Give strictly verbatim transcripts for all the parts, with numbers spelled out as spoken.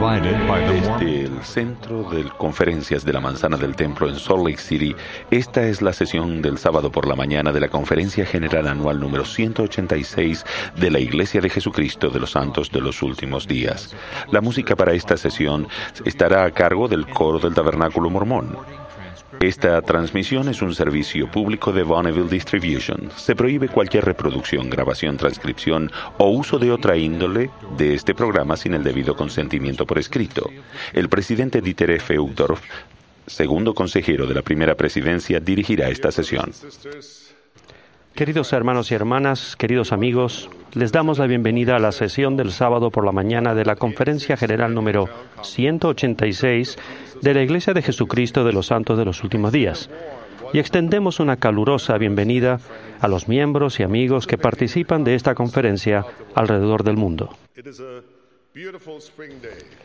Desde el centro de conferencias de la Manzana del Templo en Salt Lake City, esta es la sesión del sábado por la mañana de la Conferencia General Anual número ciento ochenta y seis de la Iglesia de Jesucristo de los Santos de los Últimos Días. La música para esta sesión estará a cargo del coro del Tabernáculo Mormón. Esta transmisión es un servicio público de Bonneville Distribution. Se prohíbe cualquier reproducción, grabación, transcripción o uso de otra índole de este programa sin el debido consentimiento por escrito. El presidente Dieter F. Uchtdorf, segundo consejero de la primera presidencia, dirigirá esta sesión. Queridos hermanos y hermanas, queridos amigos, les damos la bienvenida a la sesión del sábado por la mañana de la Conferencia General número ciento ochenta y seis de la Iglesia de Jesucristo de los Santos de los Últimos Días. Y extendemos una calurosa bienvenida a los miembros y amigos que participan de esta conferencia alrededor del mundo.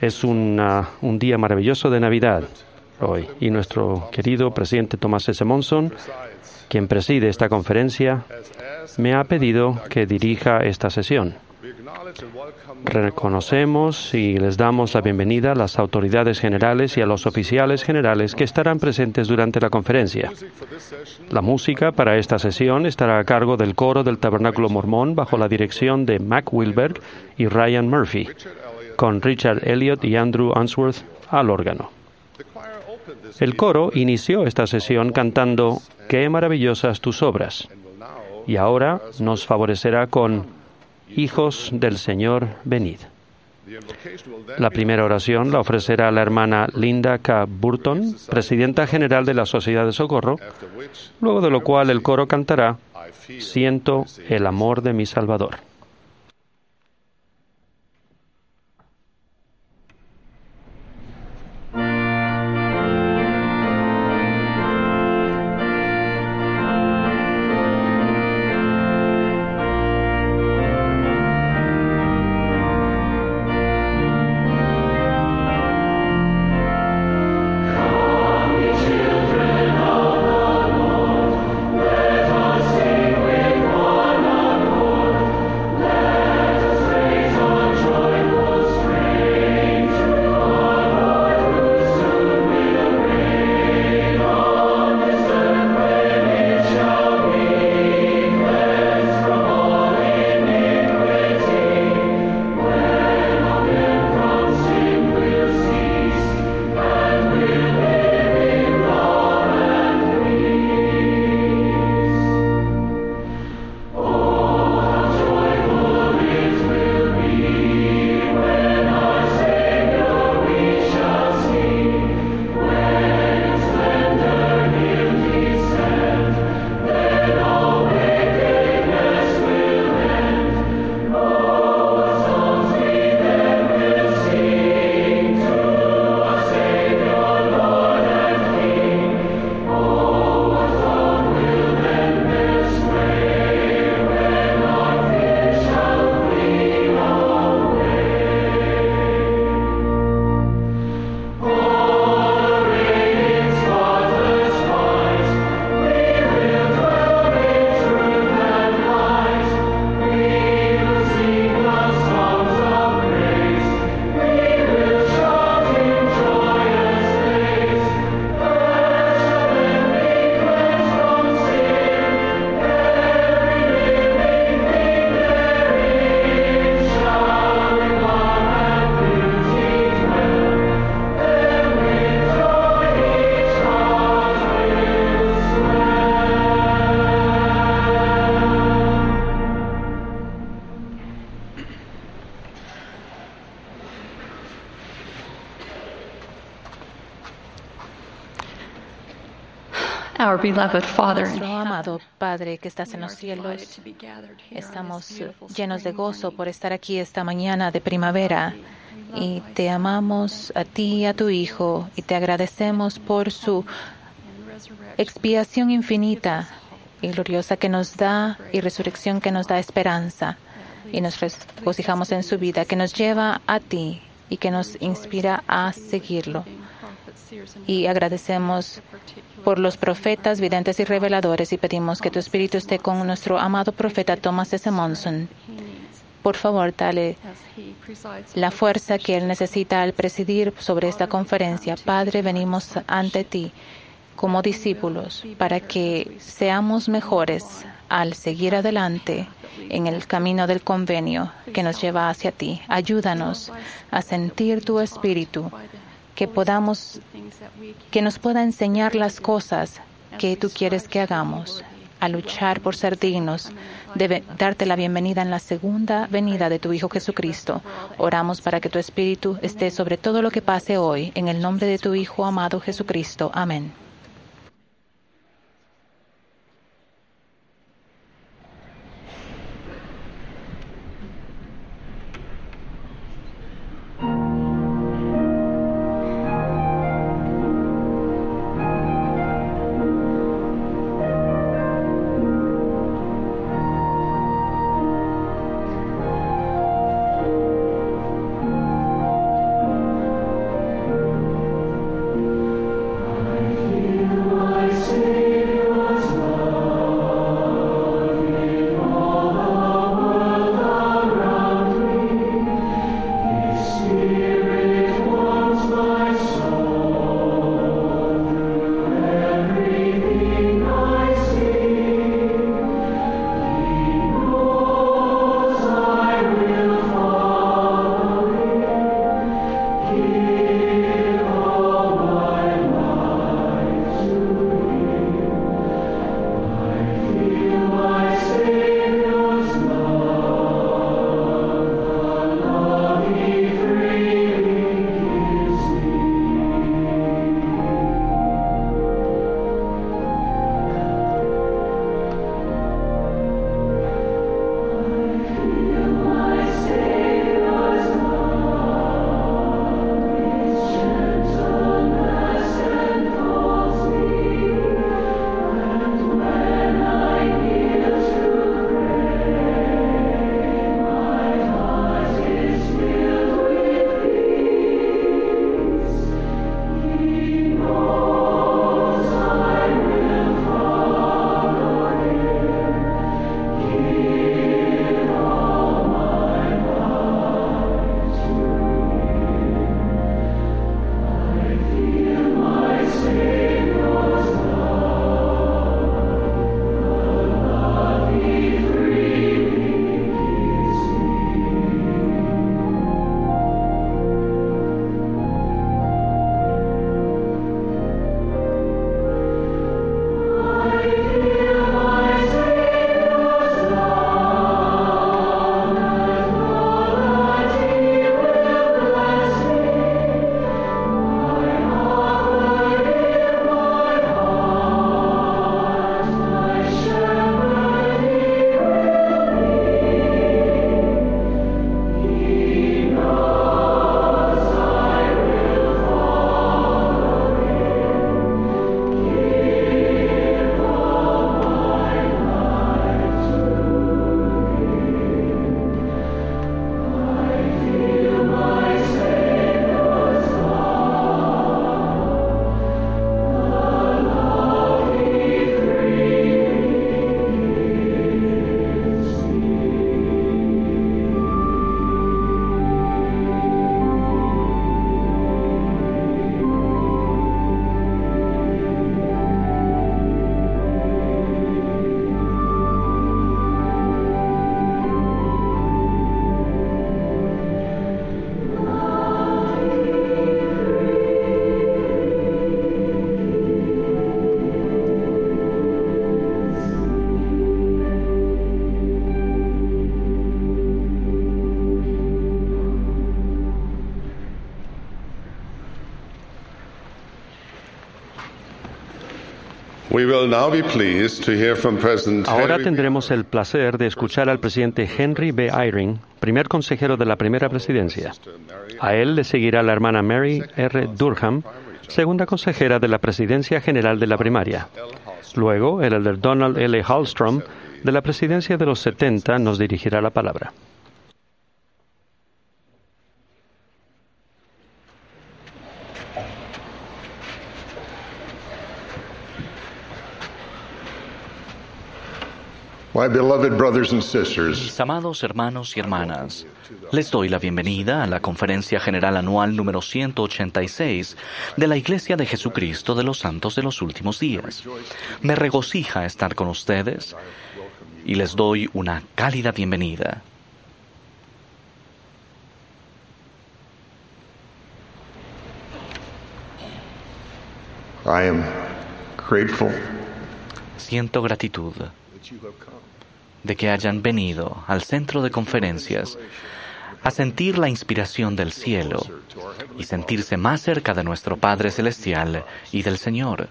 Es un, ah, un día maravilloso de Navidad hoy, y nuestro querido presidente Thomas S. Monson, quien preside esta conferencia, me ha pedido que dirija esta sesión. Reconocemos y les damos la bienvenida a las autoridades generales y a los oficiales generales que estarán presentes durante la conferencia. La música para esta sesión estará a cargo del coro del Tabernáculo Mormón bajo la dirección de Mac Wilberg y Ryan Murphy, con Richard Elliott y Andrew Unsworth al órgano. El coro inició esta sesión cantando "Qué maravillosas tus obras", y ahora nos favorecerá con "Hijos del Señor, venid". La primera oración la ofrecerá la hermana Linda K. Burton, presidenta general de la Sociedad de Socorro, luego de lo cual el coro cantará "Siento el amor de mi Salvador". Our beloved Father in Nuestro heaven, amado Padre que estás en los cielos, estamos llenos de gozo por estar aquí esta mañana de primavera y te amamos a ti y a tu Hijo y te agradecemos por su expiación infinita y gloriosa que nos da y resurrección que nos da esperanza y nos regocijamos en su vida que nos lleva a ti y que nos inspira a seguirlo. Y agradecemos por los profetas, videntes y reveladores y pedimos que tu espíritu esté con nuestro amado profeta Thomas S. Monson. Por favor, dale la fuerza que él necesita al presidir sobre esta conferencia. Padre, venimos ante ti como discípulos para que seamos mejores al seguir adelante en el camino del convenio que nos lleva hacia ti. Ayúdanos a sentir tu espíritu, que podamos, que nos pueda enseñar las cosas que tú quieres que hagamos, a luchar por ser dignos de ve-, darte la bienvenida en la segunda venida de tu Hijo Jesucristo. Oramos para que tu Espíritu esté sobre todo lo que pase hoy, en el nombre de tu Hijo amado Jesucristo. Amén. We will now be pleased to hear from President Ahora Henry tendremos el placer de escuchar al presidente Henry B. Eyring, primer consejero de la Primera Presidencia. A él le seguirá la hermana Mary R. Durham, segunda consejera de la Presidencia General de la Primaria. Luego, el elder Donald L. Hallstrom, de la Presidencia de los setenta, nos dirigirá la palabra. My beloved brothers and sisters, Mis amados hermanos y hermanas, les doy la bienvenida a la Conferencia General Anual número ciento ochenta y seis de la Iglesia de Jesucristo de los Santos de los Últimos Días. Me regocija estar con ustedes y les doy una cálida bienvenida. I am grateful Siento gratitud that you have come de que hayan venido al centro de conferencias a sentir la inspiración del cielo y sentirse más cerca de nuestro Padre Celestial y del Señor.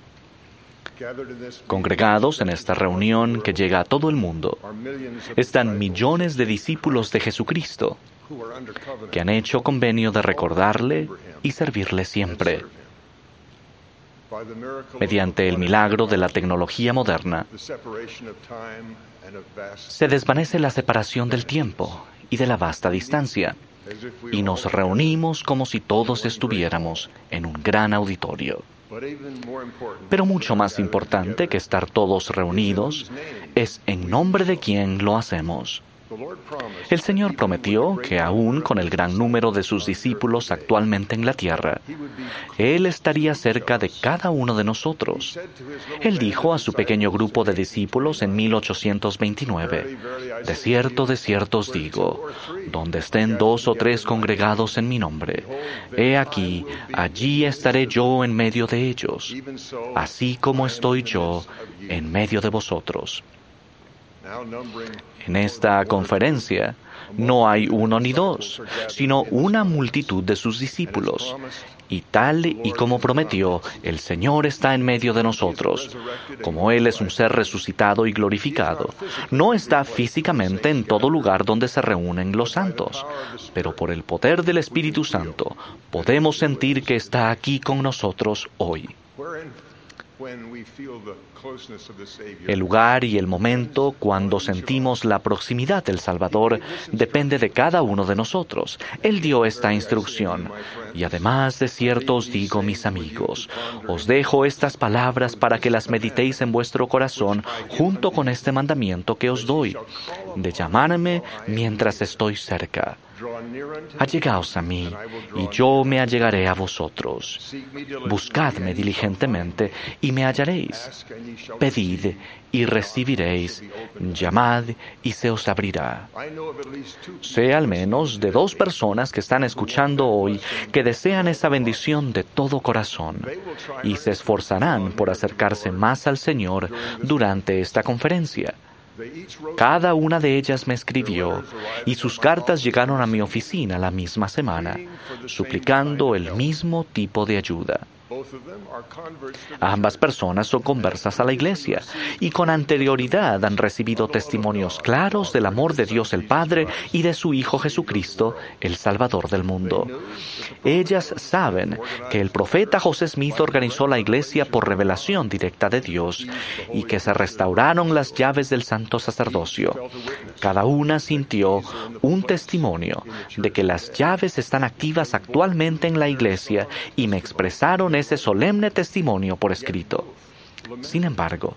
Congregados en esta reunión que llega a todo el mundo, están millones de discípulos de Jesucristo que han hecho convenio de recordarle y servirle siempre. Mediante el milagro de la tecnología moderna, se desvanece la separación del tiempo y de la vasta distancia, y nos reunimos como si todos estuviéramos en un gran auditorio. Pero mucho más importante que estar todos reunidos es en nombre de quién lo hacemos. El Señor prometió que aún con el gran número de sus discípulos actualmente en la tierra, Él estaría cerca de cada uno de nosotros. Él dijo a su pequeño grupo de discípulos en mil ochocientos veintinueve: "De cierto, de cierto os digo, donde estén dos o tres congregados en mi nombre, he aquí, allí estaré yo en medio de ellos, así como estoy yo en medio de vosotros". En esta conferencia no hay uno ni dos, sino una multitud de sus discípulos. Y tal y como prometió, el Señor está en medio de nosotros. Como Él es un ser resucitado y glorificado, no está físicamente en todo lugar donde se reúnen los santos, pero por el poder del Espíritu Santo podemos sentir que está aquí con nosotros hoy. El lugar y el momento cuando sentimos la proximidad del Salvador depende de cada uno de nosotros. Él dio esta instrucción: "Y además de cierto os digo, mis amigos, os dejo estas palabras para que las meditéis en vuestro corazón junto con este mandamiento que os doy, de llamarme mientras estoy cerca". Allegaos a mí, y yo me allegaré a vosotros. Buscadme diligentemente, y me hallaréis. Pedid, y recibiréis. Llamad, y se os abrirá. Sé al menos de dos personas que están escuchando hoy que desean esa bendición de todo corazón, y se esforzarán por acercarse más al Señor durante esta conferencia. Cada una de ellas me escribió, y sus cartas llegaron a mi oficina la misma semana, suplicando el mismo tipo de ayuda. Ambas personas son conversas a la iglesia, y con anterioridad han recibido testimonios claros del amor de Dios el Padre y de su Hijo Jesucristo, el Salvador del mundo. Ellas saben que el profeta José Smith organizó la iglesia por revelación directa de Dios y que se restauraron las llaves del santo sacerdocio. Cada una sintió un testimonio de que las llaves están activas actualmente en la iglesia, y me expresaron ese solemne testimonio por escrito. Sin embargo,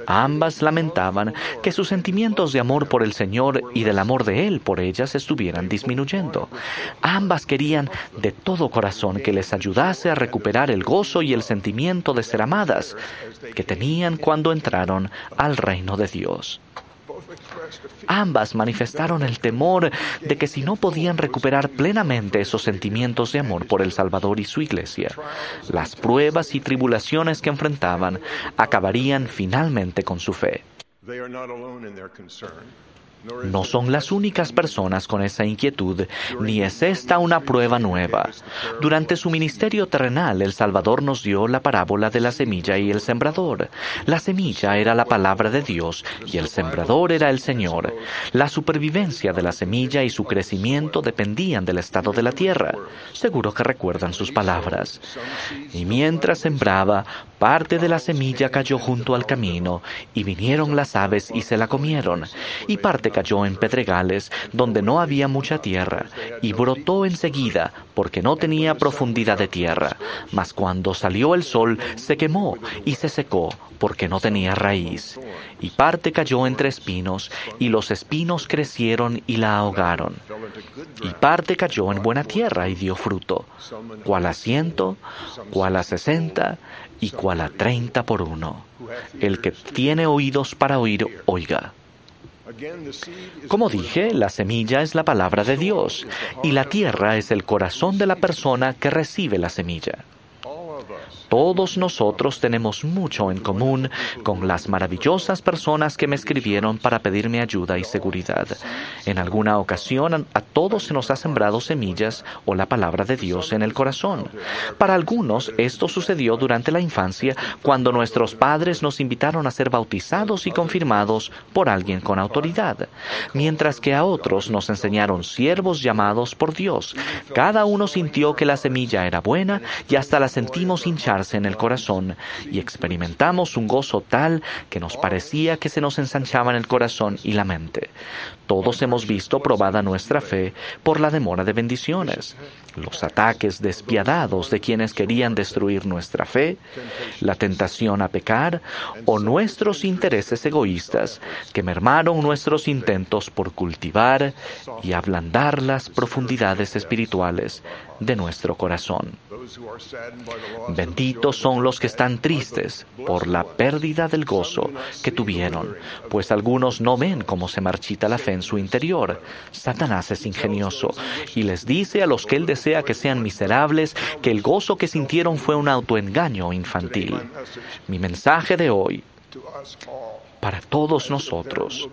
ambas lamentaban que sus sentimientos de amor por el Señor y del amor de Él por ellas estuvieran disminuyendo. Ambas querían de todo corazón que les ayudase a recuperar el gozo y el sentimiento de ser amadas que tenían cuando entraron al reino de Dios. Ambas manifestaron el temor de que si no podían recuperar plenamente esos sentimientos de amor por el Salvador y su iglesia, las pruebas y tribulaciones que enfrentaban acabarían finalmente con su fe. No son las únicas personas con esa inquietud, ni es esta una prueba nueva. Durante su ministerio terrenal, el Salvador nos dio la parábola de la semilla y el sembrador. La semilla era la palabra de Dios y el sembrador era el Señor. La supervivencia de la semilla y su crecimiento dependían del estado de la tierra. Seguro que recuerdan sus palabras. Y mientras sembraba, parte de la semilla cayó junto al camino, y vinieron las aves y se la comieron. Y parte cayó en pedregales donde no había mucha tierra, y brotó enseguida, porque no tenía profundidad de tierra. Mas cuando salió el sol, se quemó y se secó, porque no tenía raíz. Y parte cayó entre espinos, y los espinos crecieron y la ahogaron. Y parte cayó en buena tierra y dio fruto, cual a ciento, cual a sesenta, y cual a treinta por uno. El que tiene oídos para oír, oiga. Como dije, la semilla es la palabra de Dios, y la tierra es el corazón de la persona que recibe la semilla. Todos nosotros tenemos mucho en común con las maravillosas personas que me escribieron para pedirme ayuda y seguridad. En alguna ocasión, a todos se nos ha sembrado semillas o la palabra de Dios en el corazón. Para algunos, esto sucedió durante la infancia, cuando nuestros padres nos invitaron a ser bautizados y confirmados por alguien con autoridad, mientras que a otros nos enseñaron siervos llamados por Dios. Cada uno sintió que la semilla era buena y hasta la sentimos hincharse en el corazón, y experimentamos un gozo tal que nos parecía que se nos ensanchaban el corazón y la mente. Todos hemos visto probada nuestra fe por la demora de bendiciones, los ataques despiadados de quienes querían destruir nuestra fe, la tentación a pecar o nuestros intereses egoístas que mermaron nuestros intentos por cultivar y ablandar las profundidades espirituales de nuestro corazón. Benditos son los que están tristes por la pérdida del gozo que tuvieron, pues algunos no ven cómo se marchita la fe en su interior. Satanás es ingenioso y les dice a los que él desea que sean miserables que el gozo que sintieron fue un autoengaño infantil. Mi mensaje de hoy para todos nosotros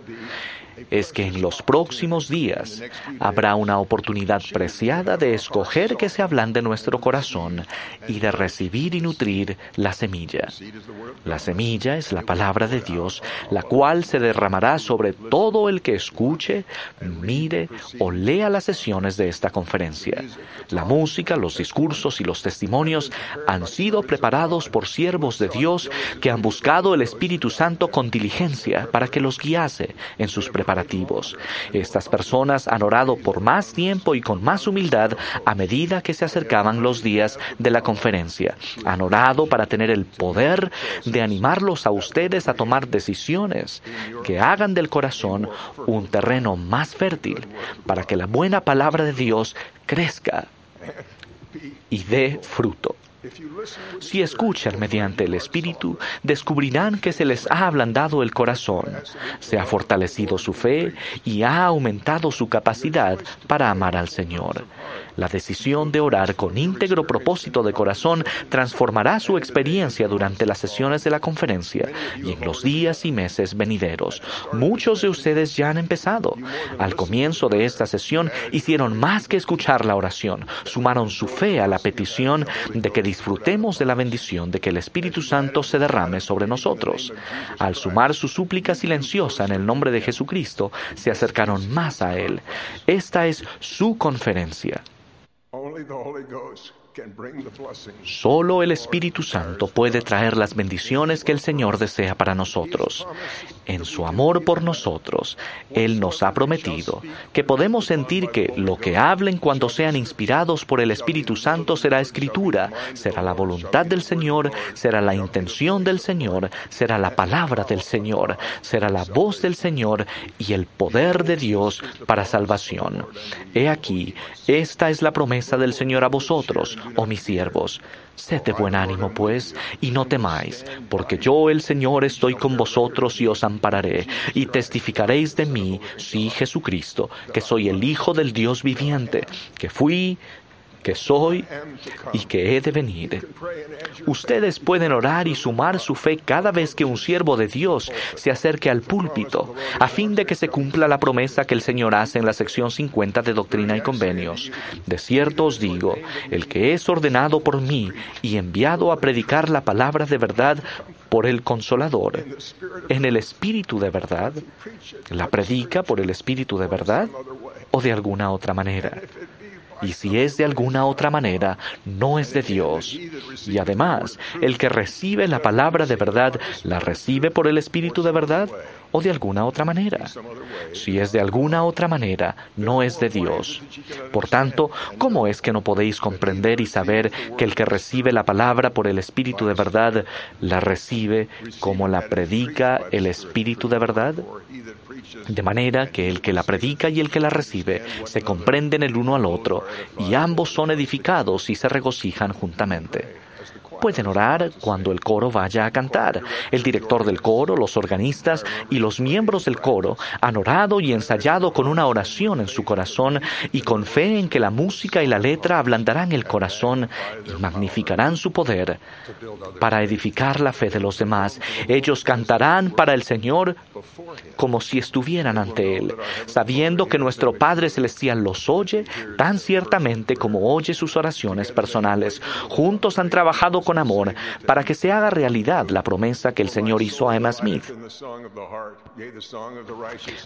es que en los próximos días habrá una oportunidad preciada de escoger que se ablande nuestro corazón y de recibir y nutrir la semilla. La semilla es la palabra de Dios, la cual se derramará sobre todo el que escuche, mire o lea las sesiones de esta conferencia. La música, los discursos y los testimonios han sido preparados por siervos de Dios que han buscado el Espíritu Santo con diligencia para que los guiase en sus preparativos. Estas personas han orado por más tiempo y con más humildad a medida que se acercaban los días de la conferencia. Han orado para tener el poder de animarlos a ustedes a tomar decisiones que hagan del corazón un terreno más fértil para que la buena palabra de Dios crezca y dé fruto. Si escuchan mediante el Espíritu, descubrirán que se les ha ablandado el corazón, se ha fortalecido su fe y ha aumentado su capacidad para amar al Señor. La decisión de orar con íntegro propósito de corazón transformará su experiencia durante las sesiones de la conferencia y en los días y meses venideros. Muchos de ustedes ya han empezado. Al comienzo de esta sesión hicieron más que escuchar la oración, sumaron su fe a la petición de que disfrutemos de la bendición de que el Espíritu Santo se derrame sobre nosotros. Al sumar su súplica silenciosa en el nombre de Jesucristo, se acercaron más a Él. Esta es su conferencia. Only the Holy Ghost can bring the blessings. Solo el Espíritu Santo puede traer las bendiciones que el Señor desea para nosotros. En su amor por nosotros, Él nos ha prometido que podemos sentir que lo que hablen cuando sean inspirados por el Espíritu Santo será escritura, será la voluntad del Señor, será la intención del Señor, será la palabra del Señor, será la voz del Señor y el poder de Dios para salvación. He aquí, esta es la promesa del Señor a vosotros, oh mis siervos. Sed de buen ánimo, pues, y no temáis, porque yo, el Señor, estoy con vosotros y os ampararé, y testificaréis de mí, sí, Jesucristo, que soy el Hijo del Dios viviente, que fui, que soy y que he de venir. Ustedes pueden orar y sumar su fe cada vez que un siervo de Dios se acerque al púlpito, a fin de que se cumpla la promesa que el Señor hace en la sección cincuenta de Doctrina y Convenios. De cierto os digo, el que es ordenado por mí y enviado a predicar la palabra de verdad por el Consolador, en el Espíritu de verdad, la predica por el Espíritu de verdad o de alguna otra manera. Y si es de alguna otra manera, no es de Dios. Y además, el que recibe la palabra de verdad, ¿la recibe por el Espíritu de verdad o de alguna otra manera? Si es de alguna otra manera, no es de Dios. Por tanto, ¿cómo es que no podéis comprender y saber que el que recibe la palabra por el Espíritu de verdad, la recibe como la predica el Espíritu de verdad? De manera que el que la predica y el que la recibe se comprenden el uno al otro, y ambos son edificados y se regocijan juntamente. Pueden orar cuando el coro vaya a cantar. El director del coro, los organistas y los miembros del coro han orado y ensayado con una oración en su corazón y con fe en que la música y la letra ablandarán el corazón y magnificarán su poder para edificar la fe de los demás. Ellos cantarán para el Señor como si estuvieran ante Él, sabiendo que nuestro Padre Celestial los oye tan ciertamente como oye sus oraciones personales. Juntos han trabajado con amor para que se haga realidad la promesa que el Señor hizo a Emma Smith.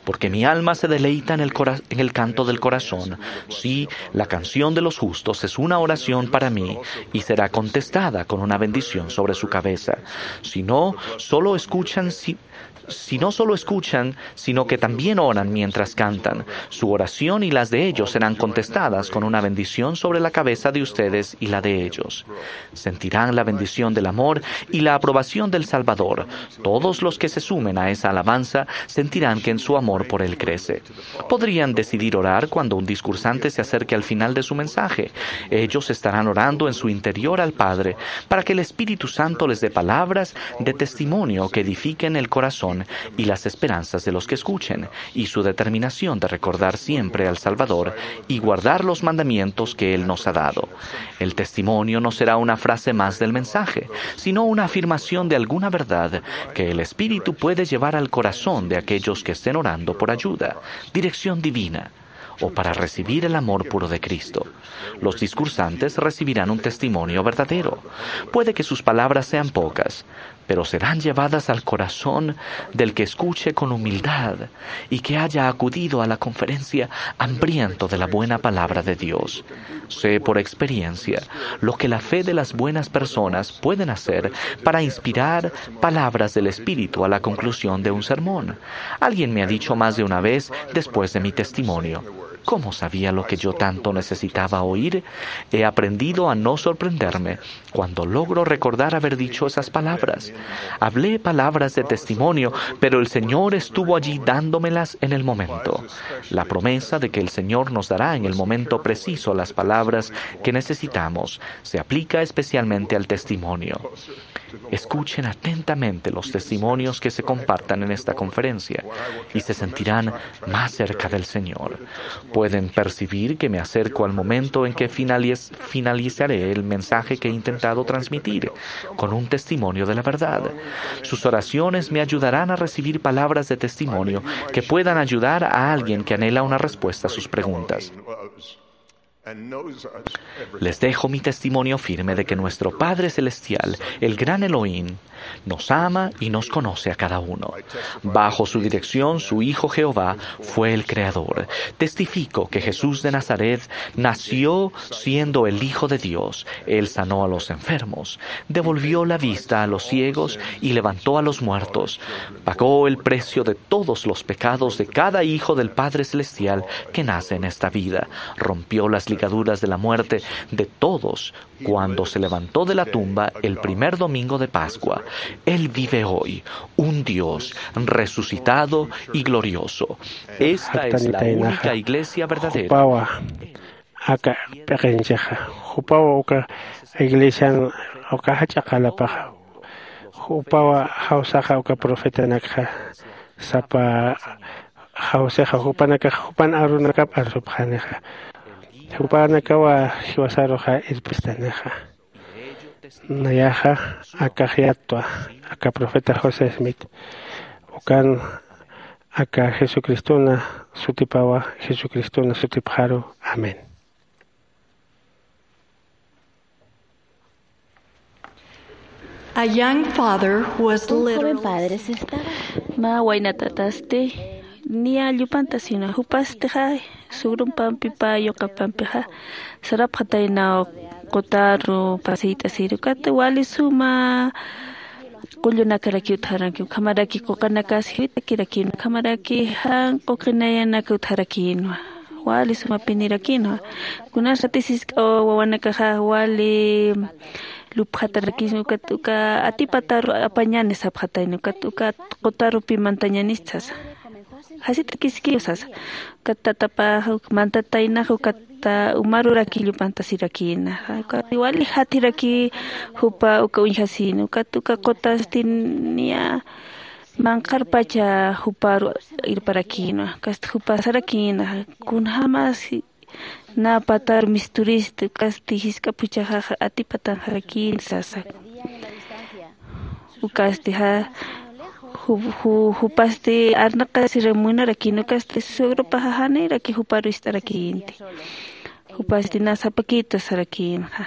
Porque mi alma se deleita en el, cora- en el canto del corazón. Sí, la canción de los justos es una oración para mí y será contestada con una bendición sobre su cabeza. Si no, solo escuchan si si no solo escuchan, sino que también oran mientras cantan. Su oración y las de ellos serán contestadas con una bendición sobre la cabeza de ustedes y la de ellos. Sentirán la bendición del amor y la aprobación del Salvador. Todos los que se sumen a esa alabanza sentirán que en su amor por Él crece. Podrían decidir orar cuando un discursante se acerque al final de su mensaje. Ellos estarán orando en su interior al Padre para que el Espíritu Santo les dé palabras de testimonio que edifiquen el corazón y las esperanzas de los que escuchen, y su determinación de recordar siempre al Salvador y guardar los mandamientos que Él nos ha dado. El testimonio no será una frase más del mensaje, sino una afirmación de alguna verdad que el Espíritu puede llevar al corazón de aquellos que estén orando por ayuda, dirección divina, o para recibir el amor puro de Cristo. Los discursantes recibirán un testimonio verdadero. Puede que sus palabras sean pocas, pero serán llevadas al corazón del que escuche con humildad y que haya acudido a la conferencia hambriento de la buena palabra de Dios. Sé por experiencia lo que la fe de las buenas personas pueden hacer para inspirar palabras del Espíritu a la conclusión de un sermón. Alguien me ha dicho más de una vez después de mi testimonio: ¿cómo sabía lo que yo tanto necesitaba oír? He aprendido a no sorprenderme cuando logro recordar haber dicho esas palabras. Hablé palabras de testimonio, pero el Señor estuvo allí dándomelas en el momento. La promesa de que el Señor nos dará en el momento preciso las palabras que necesitamos se aplica especialmente al testimonio. Escuchen atentamente los testimonios que se compartan en esta conferencia y se sentirán más cerca del Señor. Pueden percibir que me acerco al momento en que finaliz- finalizaré el mensaje que he intentado transmitir con un testimonio de la verdad. Sus oraciones me ayudarán a recibir palabras de testimonio que puedan ayudar a alguien que anhela una respuesta a sus preguntas. Les dejo mi testimonio firme de que nuestro Padre Celestial, el gran Elohim, nos ama y nos conoce a cada uno. Bajo su dirección, su Hijo Jehová fue el Creador. Testifico que Jesús de Nazaret nació siendo el Hijo de Dios. Él sanó a los enfermos, devolvió la vista a los ciegos y levantó a los muertos. Pagó el precio de todos los pecados de cada hijo del Padre Celestial que nace en esta vida. Rompió las ligaduras de la muerte de todos cuando se levantó de la tumba el primer domingo de Pascua. Él vive hoy, un Dios resucitado y glorioso. Esta es la única iglesia verdadera. Jupawa aka p'iqinchixa. Jupawa uka iglesian uka jach'a qalapaxa. Jupawa jawsaxa uka profetanakxa sapa jawsixa jupanakax jupan arunakap arsupxanixa. Jupanakawa jiwasaruxa irpistanixa. Nayaxa akax yatwa, aka profeta José Smith. Ukan aka Jesucristona sutipawa, Jesucristona sutipxaru. Amén. A young father was Un joven literally padre se estaba. Mä wayna tatasti niya llupantasina jupastixa Sugrumpampipa yuqapampixa sarapxataynaw qutaru pasiyt'asir ukat wali suma qullunakarakiw utjarankiw ukhamaraki quqanakas jiwitakirakinwa ukhamaraki jan quqinayanaka utjarakïnwa. Wali sumapinirakinwa. Kunas ratisisk'a wawanakaxa wali lupxatarakisma ukat uka atipataru apañani sapxatayna ukat uka qutarupi mantañanista sasa. Jasit'akiskiw sasa. Ukat tatapaxa mantataynaxa ukat umarurakillu pantasirakïna. Ukat wali jathiraki jupa uka uñjasïna ukat uka qutastin niya manqharpacha juparu irparakïna. Ukasti jupa sarakïna kunjämas nä patar misturisti ukasti jisk'a phuchhaxaxa atipatanxarakïnti sasa. Ukasti ja jupasti arnaqasir munarakïna ukasti suegrupaxa janiraki juparu ist'arakïnti. Jupasti nä sapakïta sarakïnxa.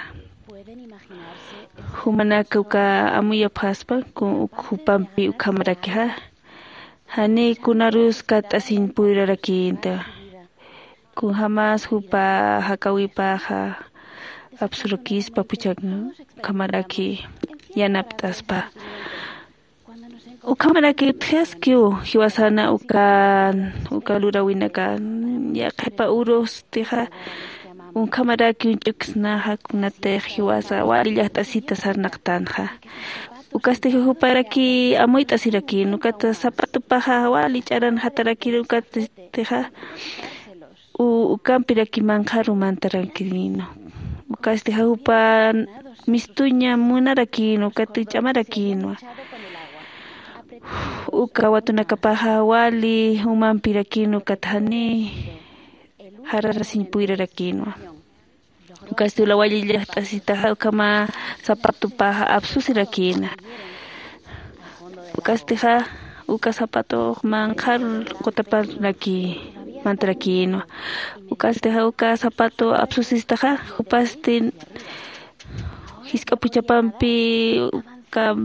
Jumanaka uka amuyapxaspa jupampi ukhamarakixa janiy kunarus katt'asiñ puyrarakïnta. Kunjämas jupa jakäwipaxa apsurakispa phuchhak ukhamaraki yanapt'aspa. Ukhamaraki utjaskiw jiwasana uka uka luräwinaka yaqhipa urustixa ukhamaraki uñch'uksnaxa kunatix jiwasa wali llajt'asita sarnaqtänxa. Ukastix juparaki amuyt'asirakïn ukat zapatopaxa wali ch'aranxatarakir ukatstixa ukampiraki manqharu mantarakïn. Ukasti ja jupa mistuña munarakïn ukat ch'amarakïnwa. Uka watunakapaxa wali umampirakïn ukat jani jararasiñ puyrarakïnwa. Ukasti ula wali llajt'asitaxa ukhama zapatopaxa apsusirakïna. Ukastixa uka zapatox manqhar qutaparaki mantarakïnwa. Ukastixa uka zapato apsusistaxa jupasti jisk'a phuchhapampi uka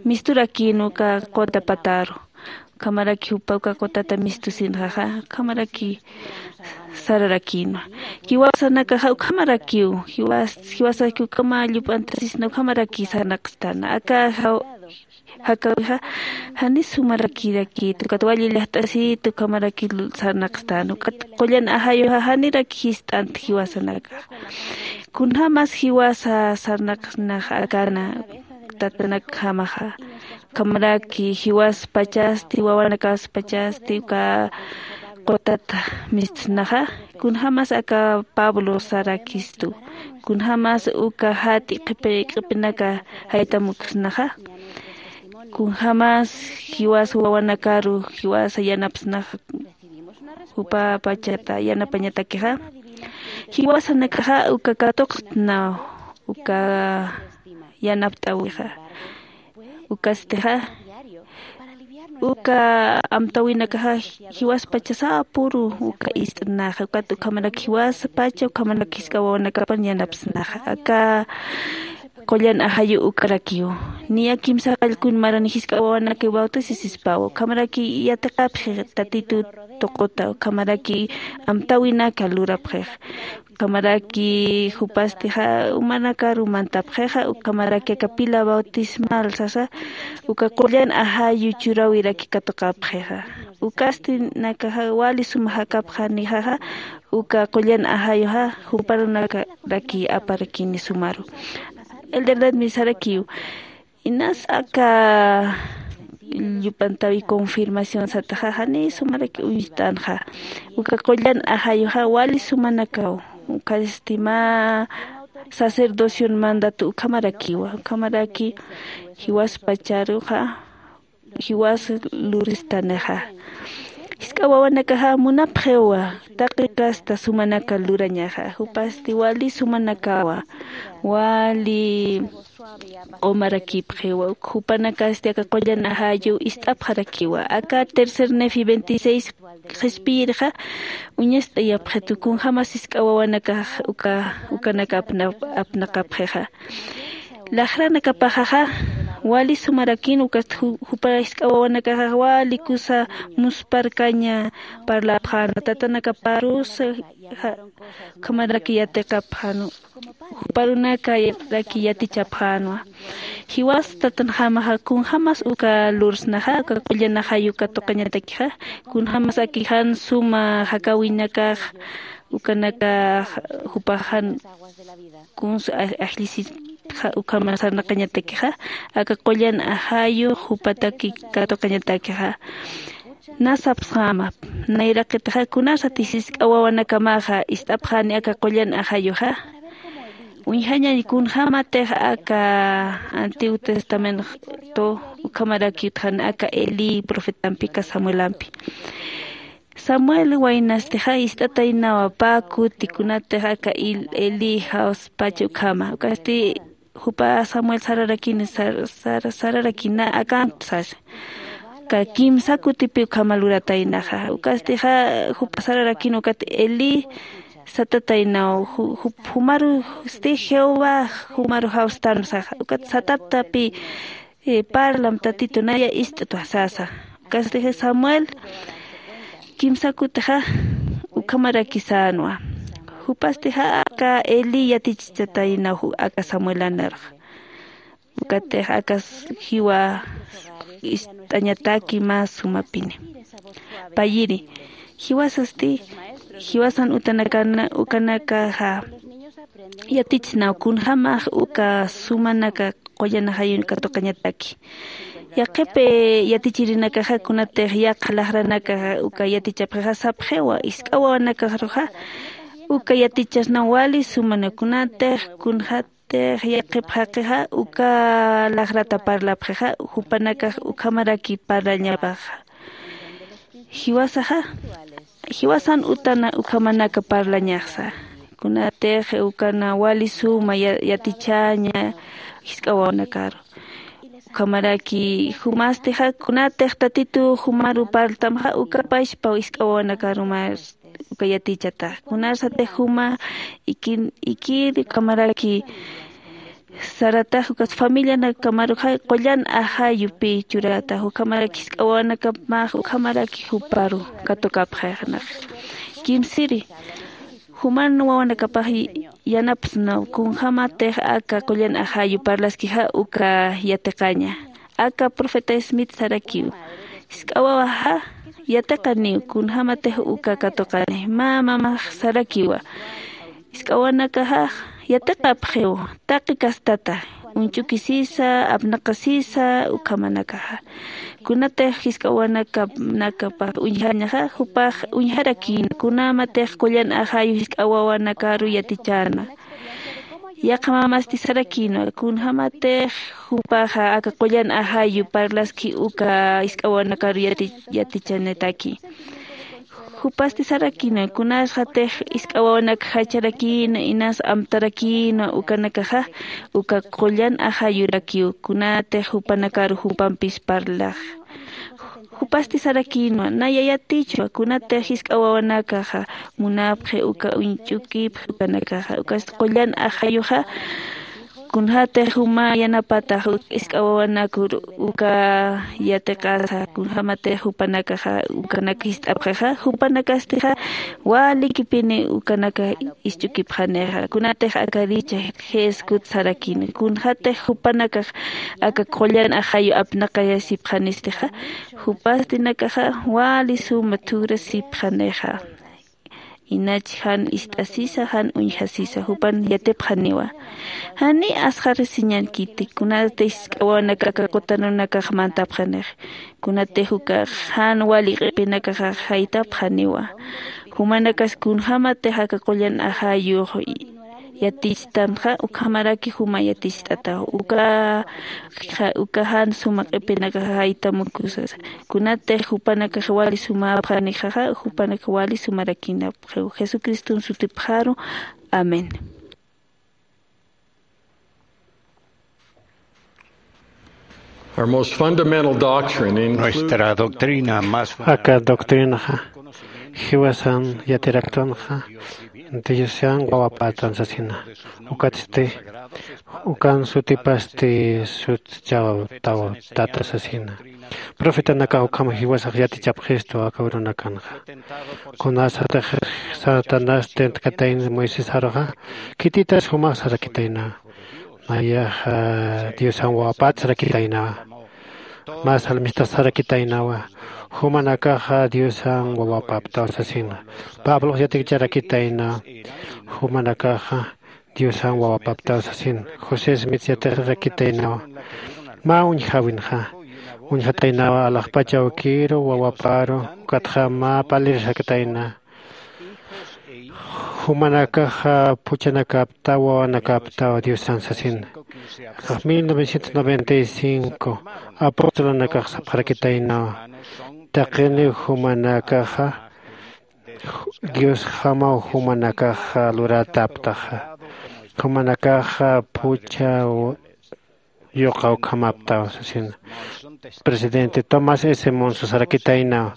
misturakïn uka quta pataru. Ukhamaraki jupa uka qutata mistusinxaxa ukhamaraki sararakïnwa. Jiwasanakaxa ukhamarakiw jiwasaki ukhama llup'antasisna ukhamaraki sarnaqstana aka jakäwixa jani sumarakirakït ukat wali llajt'asït ukhamaraki sarnaqstana ukat qullan ajayuxa janiraki jist'ant jiwasanakaxa. Kunjämas jiwasa sarnaqsnax akana tatanakjamaxa ukhamaraki jiwas pachasti wawanakas pachasti uka qutat mistsnaxa. Kunjämas aka pablo sarakistu kunjämas uka jat'i q'ipinaka jaytamuksnaxa. Kunjämas jiwas wawanakaru jiwasa yanapsnaxa jupa pachata yanapañatakixa jiwasanakaxa uka katuqtna uka yanapt'äwixa. Ukastixa uka amtäwinakaxa jiwaspachasa puru uka ist'naxa ukat ukhamarak jiwaspacha ukhamarak jisk'a wawanakapan yanapsnaxa aka qullan ajayu ukarakiw. Niya kimsa qallkun marani jisk'a wawanakaw bautisisispawa ukhamaraki yatiqapxi tatitu tuquta ukhamaraki amtäwinaka lurapxix. Ukhamaraki jupastixa umanakaru mantapxixa ukhamaraki aka pila bautismal sasa uka qullan ajayu churäwiraki katuqapxixa. Ukasti nakaxa wali suma jakapxa nixaxa uka qullan ajayuxa juparunakaraki aparakini sumaru. Elderladmi sarakiw inas aka llup'antawi confirmación sataxa jani sumaraki uñst'anxa. Uka qullan ajayuxa wali sumanakaw ukasti mä sacerdocion mandatu ukhamarakiwa ukhamaraki jiwaspacharuxa jiwas luristanixa. Jisk'a wawanakaxa munapxiwa taqi kasta sumanaka lurañaxa jupasti wali sumanakawa wali q'umarakipxiwa jupanakasti aka qullan ajayu ist'apxarakiwa aka tercer nefi veintiséis qhispiyirxa uñast'ayapxitu kunjämas jisk'a wawanakax uka ukanaka apnaqapxixa. Laxranakapaxaxa Wali sumarakïn ukast jupa jisk'a wawanakaxax wali kusa muspharkaña parlapxänwa tatanakaparusa. Ukhamaraki yatiqapxänwa, juparunakarakiw yatichapxänwa. Jiwas tatanjamaxa kunjämas uka lursnaxa uka qullan ajayu katuqañatakixa, kunjämas aki jan suma jakäwinakax ukanakax jupax jan kunsa ajllisipxa ukhama sarnaqañatakixa, aka qullan ajayu jupataki katuqañatakixa. Nä sapsxäma, nayraqitixa kunasati jisk'a wawanakamaxa ist'apxäni aka qullan ajayuxa. Uñjañañ kunjämatix aka antiguo testamento ukhamaraki utjani aka elí profetampi aka samuelampi. Samuel waynastixa ist'ataynawa pä kuti kunatix aka elí jawspacha ukhama ukasti jupa samuel sararakini sararakina akantu sasa. Ka kimsa kutipi ukhama lurataynaxa ukastixa jupa sararakini ukat elí satataynaw jumarusti jehová jumaru jawstan saxa ukat sataptapi parlam tatitu naya ist'twa sasa. Ukastix samuel kimsa kutixa ukhamaraki sänwa. Jupastixa aka elí yatichichataynaw aka samuelanarxa. Ukatix akas jiwa ist'añataki mä sumapini. Payiri jiwasasti jiwasan utanakana ukanakaxa yatichsnaw kunjämax uka sumanaka qullan ajayun katuqañataki. Yaqhip yatichirinakaxa kunatix yaqha laxranakaxa uka yatichapxixa sapxiwa jisk'a wawanakaxaruxa uka yatichasnaw wali sumana kunatix kunjätix yaqhip jaqixa uka laxrata parlapxixa jupanakax ukhamaraki parlañapaxa. Jiwasaxa jiwasan utana ukhamanaka parlañaxsa kunatix ukana wali suma yatichäña jisk'a wawanakaru. Ukhamaraki jumastixa kunatix tatitu jumaru parltamxa uka pachpaw jisk'a wawanakaru mä uka yatichatax kunasatix juma ikir ukhamaraki saratax ukas familianakamaruxa qullan ajayupi churatax ukhamaraki jisk'a wawanakamax ukhamaraki juparu katukapxaxnax. Kimsiri juman wawanakapax yanapsnaw kunjämatix aka qullan ajayu parlaskixa uka yatiqaña. Aka profeta smith sarakiw jisk'a wawaxa yatiqaniw kunjämatix uka katuqani mä mamax sarakiwa. Jisk'a wawanakaxax yatiqapxiw taqi kastata uñch'ukisisa apnaqasisa ukhamanakaxa. Kunatix jisk'a wawanakapax uñjañaxa jupax uñjarakïna kunjämatix qullan ajayu jisk'a wawanakaru yatichäna. Yaqha mamasti sarakïnwa kunjämatix jupaxa aka qullan ajayu parlaski uka jisk'a wawanakaru yatichanitaki. Jupasti sarakïnwa kunasxatix jisk'a wawanak jacharakïna inas amtarakïnwa ukanakaxa uka qullan ajayurakiw kunatix jupanakaru jupampis parlax. Jupasti sarakïnwa naya yatichwa kunatix jisk'a wawanakaxa munapxi uka uñch'ukipxi ukanakaxa ukasti qullan ajayuxa kunjätix juma yanapatax jisk'a wawanakur uka yatiqasa kunjämatix jupanakaxa ukanak jist'apxixa jupanakastixa walikipini ukanaka isch'ukipxanixa kunatix akaricha jeskut sarakini kunjätix jupanakax aka qullan ajayu apnaqayasipxanistixa jupastinakaxa wali suma thurasipxanixa. Inach jan ist'asisa jan uñjasisa jupan yatipxaniwa. Jani asxarisiñankiti kunatix jisk'a wawanaka aka qutanunakax mantapxanix kunatix ukax jan wali q'ipinakaxax jaytapxaniwa. Jumanakas kunjämatix aka qullan ajayux yatichtamxa ukhamaraki juma yaticht'ataw uka uka jan suma q'ipinakax jaytamukusasa kunatix jupanakax wali sumapxanixaxa jupanakax wali sumarakïnapxiw jesucriston sutipxaru. Amén. Our most fundamental doctrine includes nuestra doctrina más aka doctrinaxa jiwasan yatiraktunxa Diosan wawapätan sasina. Ukatsti ukan sutipasti sutchawtaw tata sasina. Profetanakax ukham jiwasax yatichapxistu aka urunakanxa. Kunasatix satanás tentkatayna moisés aruxa, khititas jumax sarakitayna. Nayaxa diosan wawapat sarakitaynawa. Mä salmistax sarakitaynawa, jumanakaxa diosan wawapaptaw sasina. Pablox yatikicharakitayna, jumanakaxa diosan wawapaptaw sasina. José smith yatirakitaynawa, mä uñjäwinxa uñjataynawa alaxpach awkiru wawaparu. Ukatxa mä palirsakatayna, jumanakaxa phuchhanakaptaw wawanakäptaw diosan sasina. Mil novecientos noventa y cinco apostolunakax sapxarakitaynawa, taqiniw jumanakaxa diosjamaw jumanakaxa lurätäptaxa. Jumanakaxa phuchha yuqa ukhamaptaw sasina. Presidente tomás s monso sarakitaynaw,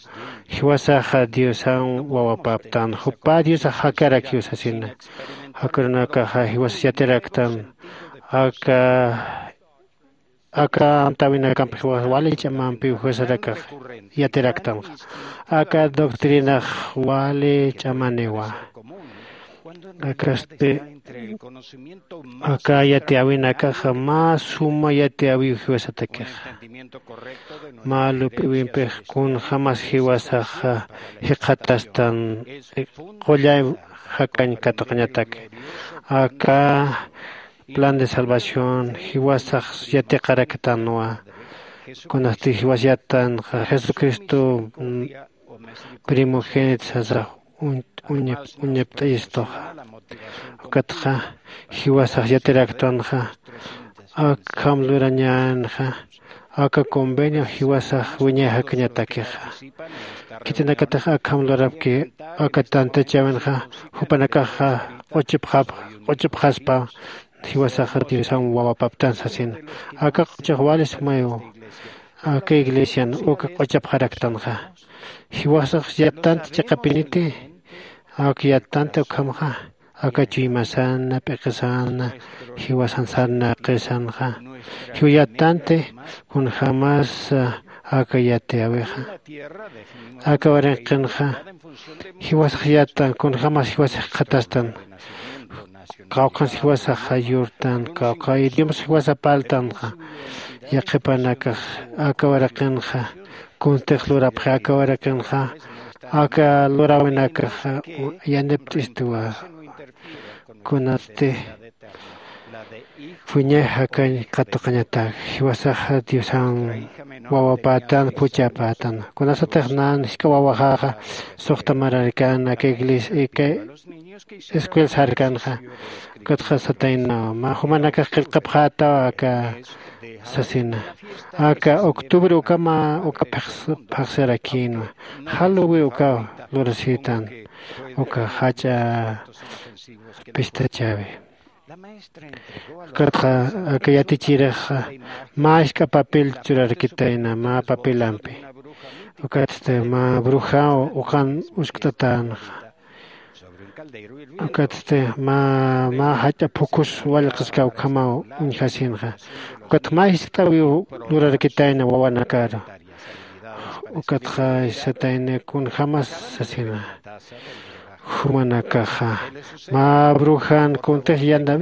jiwasaxa diosan wawapaptan jupä diosax jakarakiw sasina. Jakarunakaxa jiwasas yatiraktan aka aka amtäwinakamp jiwas wali ch'amampiw jiwasarakax yatiraktanxa. Aka doctrinax wali ch'amaniwa. Akasti aka yatiyäwinakaxa mä suma yatiyäwiw jiwasatakixa. Mä lup'iwimpix kunjämas jiwasaxa jikxatastan qullay jakañ katuqañataki. Aka plan de salvación jiwasax yatiqaraktanwa. Kunasti jiwas yattanxa jesucristo primogénito sasax uñapt'ayistuxa. Ukatxa jiwasax yatiraktanxa akham lurañänxa aka convenio jiwasax wiñay jakañatakixa. Khitinakatix akham lurapki aka tantachäwinxa jupanakaxa q'uchupxaspa jiwasaxa diosan wawapaptan sasina. Aka q'uchux wali sumayiw aka iglesian uka q'uchapxaraktanxa. Jiwasax yattant chiqapiniti aka yattant ukhamxa aka chuymasana p'iqisana jiwasan sarnaqisanxa. Jiw yattanti kunjämas aka yatiyäwixa aka waranqinxa jiwasax yattan kunjämas jiwasax jikxatastan. Kawkhans jiwasaxa yurtan kawkha idiomas jiwasa parltanxa. Yaqhipanakax aka waraqinxa kuntix lurapxi aka waraqinxa aka luräwinakaxa yanipt'istuwa. Kunatsti wiñay jakañ katuqañatak jiwasaxa diosan wawapätan phuchhapätan. Kunasatix nan jisk'a wawaxaxa suxta mararkän aka iglesia aka escuela sarkanxa. Ukatxa sataynaw mä jumanakax qillqapxätaw aka sasina. Aka octubre ukama uka phaxsarakïnwa. Jaluwi ukaw lurasïtan uka jach'a pistachäwi. Ukatxa aka yatichirixa mä jisk'a papel churarakitayna mä papelampi. Ukatsti mä brujaw uqan uskt'atänxa. Ukatsti mä mä jach'a phukhus wallqaskaw ukhamaw uñjasinxa. Ukat mä jiskt'awiw lurarakitayna wawanakaru. Ukatxa satayni kunjämas sasina. Jumanakaxa mä brujan kuntix yanda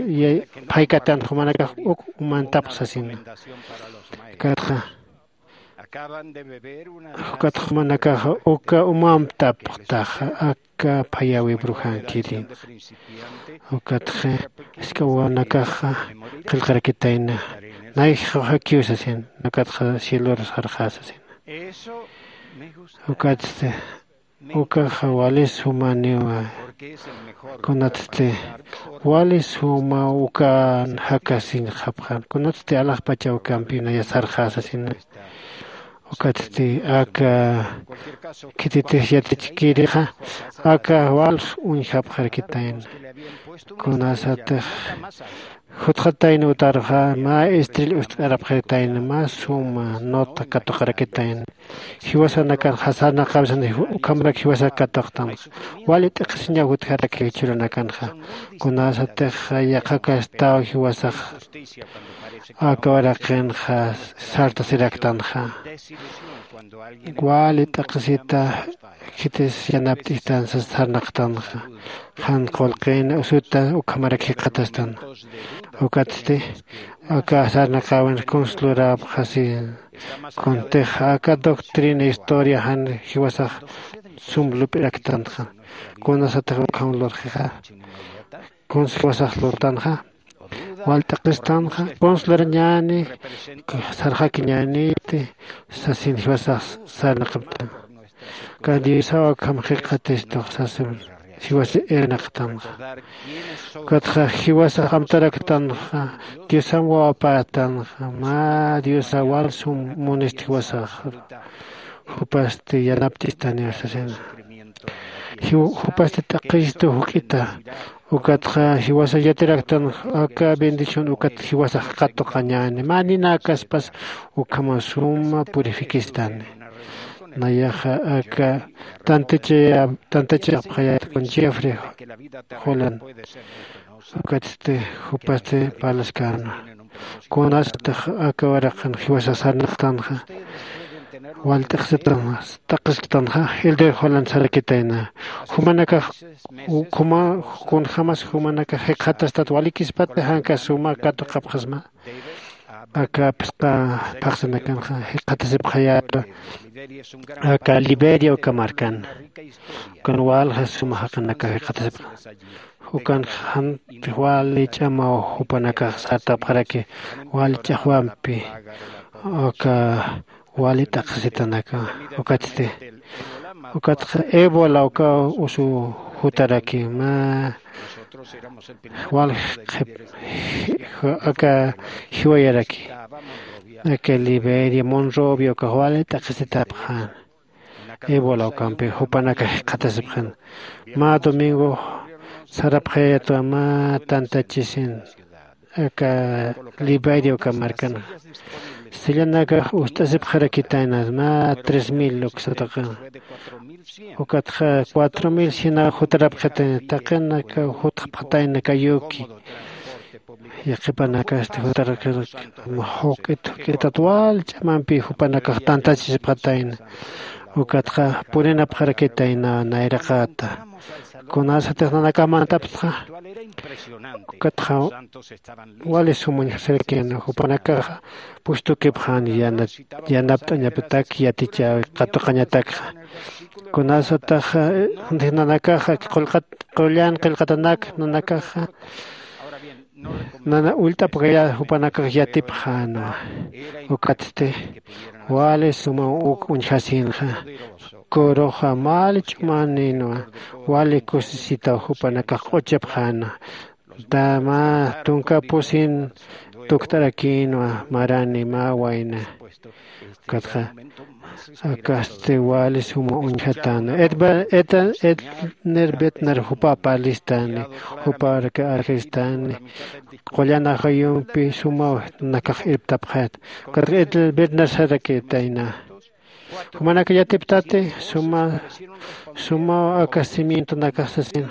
phaykatan jumanakax uk umantapx sasina. Ukatxa ukatxa jumanakaxa uka umamtapxtaxa aka phayäwi brujankirin. Ukatxa jisk'a wawanakaxa qillqarakitayna. Nay jawjakiw sasin. Ukatxa cielor sarxä sasin. Ukatsti ukaxa wali sumaniwa. Kunatsti wali suma ukan jakasiñxapxan kunatsti alaxpachaw ukampi naya sarxä sasina. Ukatsti aka khititix yatichkirixa aka wals uñjapxarakitayna. Kunasatix Jutxatayna utarxa mä estrella ust'arapxitayna mä suma nota katuqarakitayna. Jiwasanakan jasarnaqawsan ukhamarak jiwasak katuqtanxa. Wali t'aqhisiñaw jutjaraki jichhuranakanxa. Kunasatix yaqhakastaw jiwasax aka uraqinxa sartasiraktanxa. Wali t'aqhisita khitis yanapt'istan sas sarnaqtanxa. Jan qullqin usuta ukhamarak jikxatastan. Ukatsti aka sarnaqäwin kuns lurapxasi. Kuntix aka doctrina historia jan jiwasax sum lup'iraktanxa. Kunasatix ukham lurxixa kuns jiwasax lurtanxa. Wal t'aqistanxa kuns lurañäni sarxakiñäniti sasin jiwasax sarnaqaptan. Ka diosaw akham jikxatistux sasipn jiwasa irnaqtanxa. Ukatxa jiwasax amtaraktanxa diosam wawapätanxa mä diosaw wal sum munist jiwasax. Jupasti yanapt'istaniw sasina. Jupasti t'aqhistu juk'ita. Ukatxa jiwasax yatiraktan aka bendición ukat jiwasax katuqañäni mä ninäkaspas ukhama suma purifikistani. Nayaxa aka tantachayapxayat kun jeffrey jolan. Ukatsti jupasti parlaskäna. Kunasatix aka uraqin jiwasax sarnaqtanxa. Wal t'aqhisktanxa. T'aqhisktanxa. Elder jolan sarakitayna jumanakax kunjämas jumanakax jikxatastat walikispati janka suma katuqapxasma. Aka phisqa phaxsanakanxa jikxatasipxayätwa. Aka liberia uka markan ukan walja suma jaqinakax jikxatasipxa. Ukan jantix wali ch'amaw jupanakax sartapxaraki wali ch'axwampi. Aka wali t'aqhisitanaka ukatsti ukatxa ébola uka usu jutaraki mä wal aka jiwayaraki aka liberia monrovia ukax wali t'aqhisitapxän. Ébola ukampi jupanakax jikxatasipxän. Mä domingo sarapxayatwa mä tantachisin aka liberia uka markan. Sillanakax ust'asipxarakitayna mä tres mil uksataqan. Ukatxa cuatro mil sina jutarapxitayna taqinaka jutxapxatayna kayuki. Yaqhipanakasti jutarakiraki juk'it juk'itat wal ch'amampi jupanakax tantachisipxatayna. Ukatxa purinapxarakitayna nayraqata. Kunasatix nanakax mantaptxa ukatxa wali sumuñjasirakina jupanakaxa pustukipxan yanapt'añapitak yatichäwi katuqañatakxa. Kunasataxa nanakaxa qullan qillqatanak nanakaxa nana ullt'apkaya jupanakax yatipxänwa. Ukatsti wali sumaw uk uñjasinxa. Kuruxa wali ch'umaninwa. Wali kusisitaw jupanakax q'uchipxänwa. Mä tunka pusin tukt'arakïnwa marani mä wayna. Ukatxa akasti wali suma uñjatäna. Edner betner jupa parlistani jupa arjistani. Qullan ajayumpi sumaw nakax irptapxayat. Ukatxa edner betner sarakitayna. Jumanaka yatiptati suma suma aka cimientonakax sasina.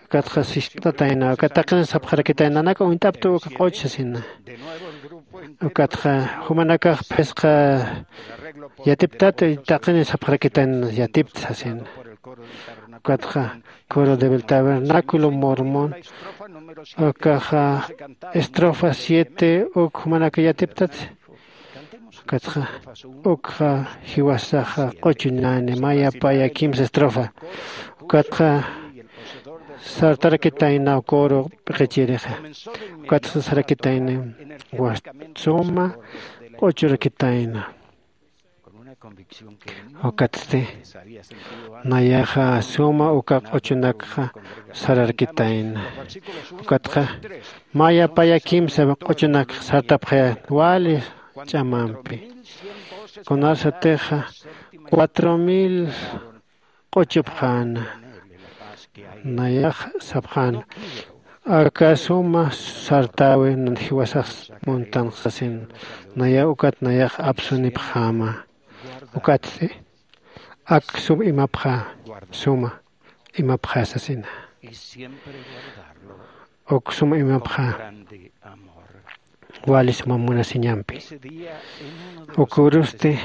Ukatxa sist'atayna uka taqin sapxarakitayna nanaka uñt'aptu uka q'uch sasina. Ukatxa jumanakax phisqa yatiptati taqin sapxarakitayna yatipt sasina. Ukatxa coro del tabernáculo mormón ukaxa estrofa siete uk jumanaka yatiptati. Ukatxa ukxa jiwasaxa q'uchunani maya paya kimsa estrofa. Ukatxa sartarakitayna coro p'iqichirixa. Ukatxa sarakitayna wastsuma q'uchurakitayna. Ukatsti nayaxa suma uka q'uchunakxa sararkitayna. Ukatxa maya paya kimsa q'uchunakxa sartapxaya wali ch'amampi. Kunasatixa cuatro mil q'uchupxäna. Nayax sapxäna Aka suma sartäwi nan jiwasax muntanx sasin, nayaw ukat nayax apsunipxäma. Ukatsti ak sum imapxä, suma imapxä sasina. Uk sum imapxä wali suma munasiñampi. Ukürusti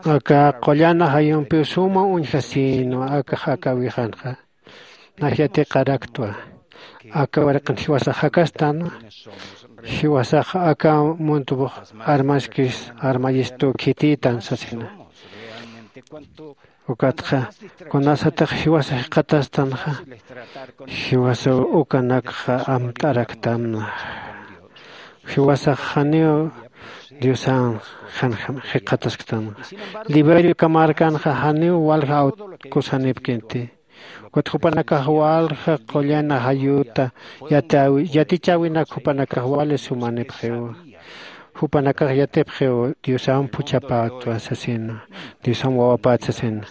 aka qullan ajayumpiw suma uñjasïnwa akax aka wixanxa. Nax yatiqaraktwa. Aka waraqin jiwasax jakastänwa. Jiwasax aka muntupux armaskis armayistu khitïtan sasina. Ukatxa kunasatix jiwasa jikxatastanxa, jiwasaw ukanakxa amt'araktamna. Jiwasax janiw Diosan jan jikxatasktanxa. Liberio kamarkanxa janiw walja awtkusanipkinti. Ukat jupanakax walja qullan ajayuta yatichäwinak jupanakax wali sumanipxiwa. Jupanakax yatipxiw Diosan phuchhapätwa sasina, Diosan wawapät sasina.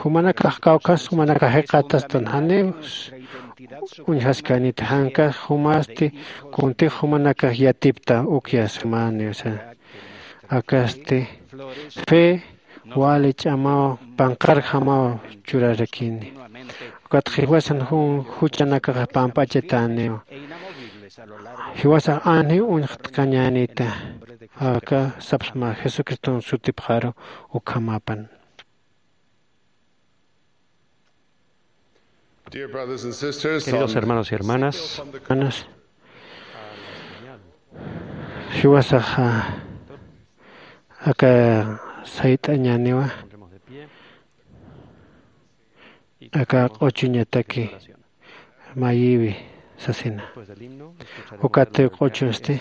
Jumanakax kawkhas jumanakax jikxatastan janiw uñjaskänita, jankas jumasti kuntix jumanakax yatipta ukyä sumäniw sasa. Akasti fe wali ch'amaw panqarjamaw churarakini. Ukat jiwasan juchanakaxa pampachatäniw. Jiwasax anjiw uñxtkañänita. Aka sapsma Jesucriston sutipxaru ukhamapan. Queridos hermanos y hermanas, jiwasaxa aka sayt'añäniwa. Aka q'uchuñataki mayiwi sasina. Ukat q'uchunsti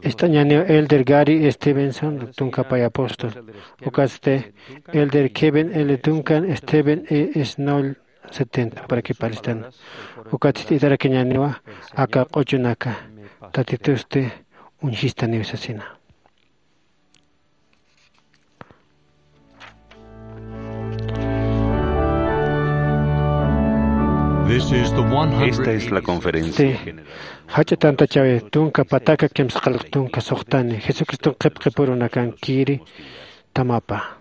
ist'añäniw elder Gary Stevenson, tunka pay apóstol. Ukatsti elder Kevin L Duncan, Steven E Snoll, setenta para que palistan. Ukatsti itarakiñäniwa aka q'uchunaka. Tatitusti uñjistaniw sasina. Esta es la conferencia. Jach'a tantachäwi tunka pataka kimsaqalq tunka suxtani Jesucriston qhipqipurunakankiri tamapa.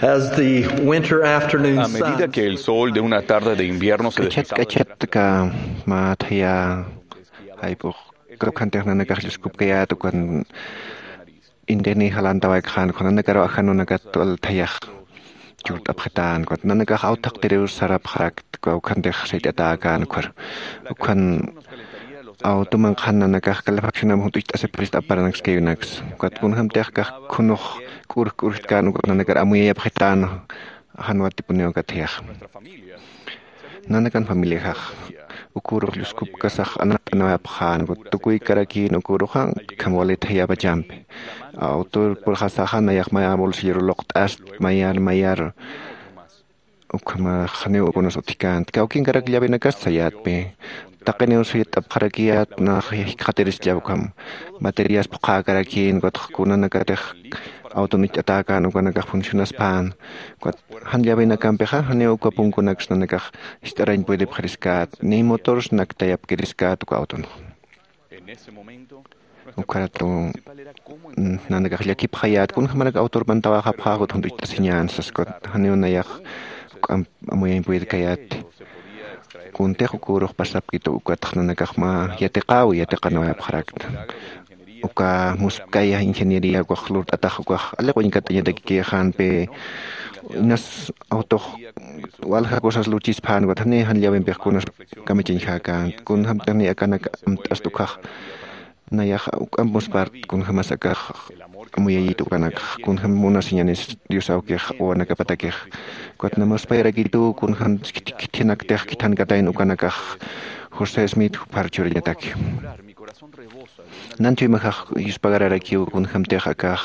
As the winter afternoon A medida sun que el sol de una tarde de invierno se K'achat deslizaba de k'achat ka mä thaya jayp'ux kawkhantix nanakax lluskupkayät ukan intini jalantawaykaxän ukan nanakaru ajanunakat wal thayax churt'apxitän ukat nanakax awthaqtiriw sarapxarakta kawkhantix sayt'atäkän ukhar ukan awtuman qhan nanakax calefaccionam junt'ucht'asipxirist aparanakskayunaksa ukat kunjämtix kax khunux k'urj k'urjtkän ukat nanakar amuyayapxitän jan watipuniw aka thiyax nanakan familiajax ukürux lluskupkasax anaqt'anawayapxän ukat tukuykarakïn uküruxa kham wali thayapachampi awtor purxasaxa nayax maya bolsilloru luqt'ast mayar mayar ukhamax janiw ukunas utjkänti kawkinkarak llavenakas sayätpi taqiniw suyt'apxarakiyät nax jikxatirislla ukham materias phuqhäkarakïn ukatx kunanakatix awton icht'atäkän ukanakax funcionaspän ukat jan llavenakampixa janiw uka punkunaks nanakax jist'arañ puedipxiriskät ni motors naktayapkiriskät uka awtonxa ukharatu nanakax llakipxayät kunjämarak awtor mantawaxapxä ukat junt'ucht'asiñän sas ukat janiw nayax juk'amp amuyañ puedkayät kuntix ukürux pasapkitu ukatx nanakax mä yatiqäwi yatiqanawayapxarakta uka muspkaya ingeniería ukax lurt'atax ukax aliq uñkat'añatakikïxänpi inas awtox walja cosas lurchispän ukat jani jan llawempix kunas kamachañjäkänti kunjämtix ni akanak amt'ast ukhax nayax uk'amp muspart kunjämas akax amuyayit ukanakax kunjäm munasiñanis dios awkix wawanakapatakix ukat na muspayarakitu kunjäm khithinaktix khithankatayn ukanakax josé smith juphar churañataki nanthuy majax yuspagararakiw kunjämtix akax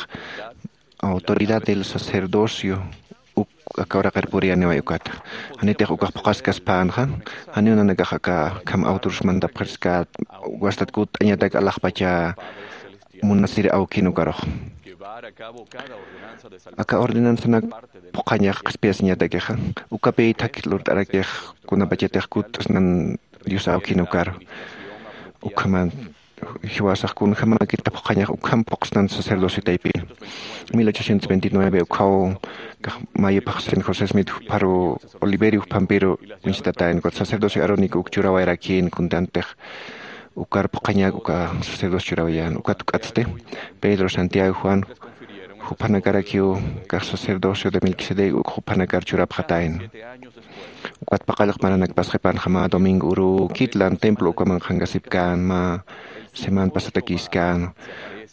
autoridad del sacerdocio uk aka uraqir puriyaniway ukata janitix ukax phuqaskaspänxa janiw nanakax aka kham autors mandapxirskät wastat kutt'añatak alaxpacha munasir awkin ukarux aka ordenanzanak phuqhañax qhispiyasiñatakixa ukapi thakhi lurt'arakix kunapachatix kutt'asnan dios awkin ukaru ukhaman jiwasax kunjämakita phuqhañax ukham phuqsnan sacerdocio taypi mil ochocientos veintinueve ukhaw kax mayuphaxsin josé smith jupharu oliverio juphampiru uñstatayn ukat sacerdocio arónico uk churawayarakïn kuntantix ukar phuqhañak uka sacerdocio churawayän ukat uk'atsti pedro santiago juan juphanakarakiw kax sacerdocio de melquisedec uk juphanakar churapxatayna ukat paqallq maranak pasqipanxa mä domingo urukitlan templo ukaman qhankasipkän mä semana pasatakïskän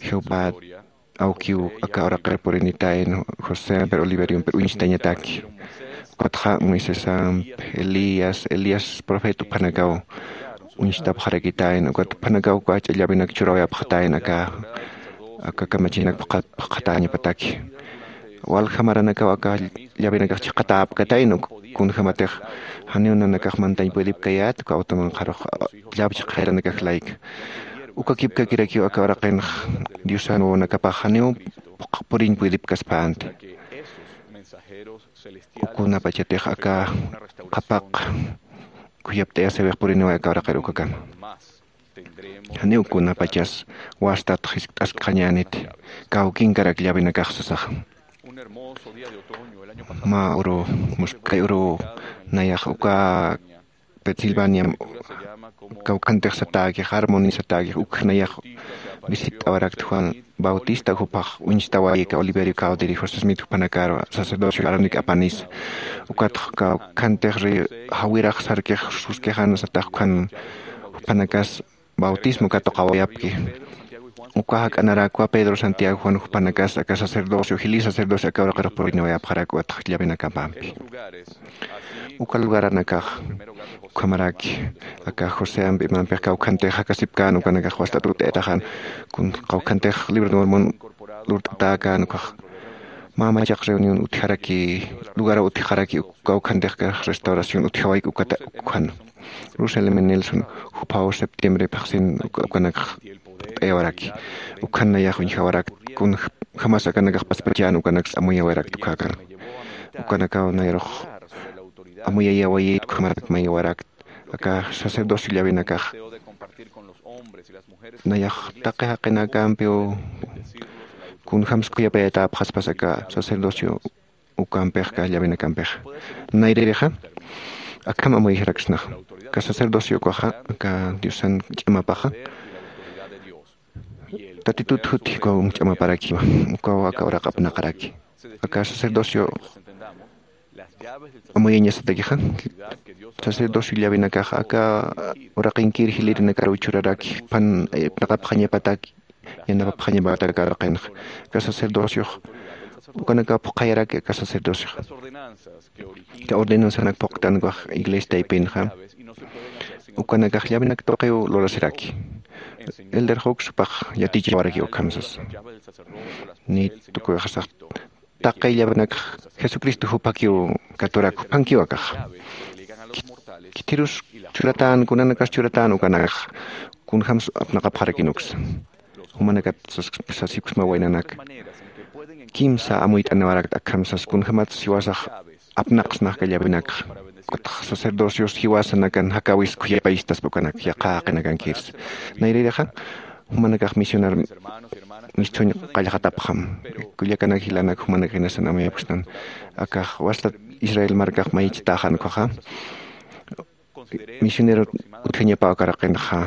jehová awkiw aka uraqir purinitayn josé amper oliveriomper uñstañataki ukatxa moisesamp elías elías profeta uphanakaw uñstapxarakitayn ukat uphanakaw uka jach'a llavenak churawayapxatayn aka aka kamachinak phuqhatañapataki walja maranakaw aka llavenakax chiqatäpkatayn uk kunjämatix janiw nanakax mantañ puedipkayät uka awtumanqarux llav chiqjayaranakax layka ukakipkakirakiw aka uraqinx diosan wawanakapax janiw puriñ puedipkaspänti ukunapachatix aka qhapaq khuyapt'ayasiwix puriniway aka uraqir ukakama janiw kunapachas wastat jiskt'askxañäniti kawkinkarak llavinakax sasaxa mä uru muskay uru nayax uka pensilvaniam kawkhantix satäkix armoni satäkix ukx nayax visitt'awarakta juan bautista jupax uñstawayika oliverio cawdiri josé smith jupanakaru sacerdocio arónic apanisa ukatx kawkhantix jawirax sarkix suskixan satax ukhan jupanakas bautismo katuqawayapki uka jak'anarakwa pedro santiago juan jupanakas aka sacerdocio jili sacerdocio aka uraqirux purinawayapxarak uwatx llavinakapampi uka lugaranakax ukhamaraki aka josé ampi mampix kawkhantix jakasipkän ukanakax wast'at ut'ayataxan kun kawkhantix libro de mormon lurt'atäkän ukax mä machaq reunión utjaraki lugaraw utjaraki kawkhantix restauración utjawayki ukata ukhan Russell M. Nelson juphaw septiembre phaxsin ukanakx t'ayawaraki ukhan nayax uñjawarak kun jamas akanakax paspachan ukanakx amuyawarak tukhakan ukanakaw nayarux amuyayawayit ukhamarak mayawarak aka sacerdocio llawinakax nayax taqi jaqinakampiw kun jams khuyapayatäpxaspas aka sacerdocio ukampix ka llavenakampixa. Nayririxa akham amuyjaraksnaxa ka sacerdocio ukaxa, ka diosan ch'amapaxa tatitut jutji ukaw ch'amaparakiwa. Ukaw aka uraq apnaqaraki aka sacerdocio amuyañasatakixa. Sacerdocio llavenakaxa aka uraqinkir jilirinakaruw churaraki phan apnaqapxañapataki yanapapxañapataki aka uraqinxa. Aka sacerdociox ukanaka phuqhayaraki aka sacerdocioxa. Ka ordenanzanak phuqtankax iglesia taypinxa ukanakax llavenak tuqiw lurasiraki. Elder hawks jupax yatichawarakiw akham sasa. Ni tukuyxasax taqi llavenakx jesucristo jupakiw katurak jupankiw akax. Khitirus churatäna kunanakas churatäna ukanakax kunjämsa apnaqapxarakin uksa. Jumanakat sasipksma waynanaka kimsa amuyt'aniwarakta akham sas kunjämatsa jiwasax apnaqsnax ka llavenakxa. Ukatxa sacerdocios jiwasanakan jakäwis khuyapayistaspa ukanak yaqha jaqinakankirsa. Nayririxa jumanakax misionar misthuñ qallxatapxam. Kullakanak jilanak jumanakax jinasan amuyapksnan akax wastat israel markax mayichtäxan ukhaxa misionero utjañapaw aka raqinxa.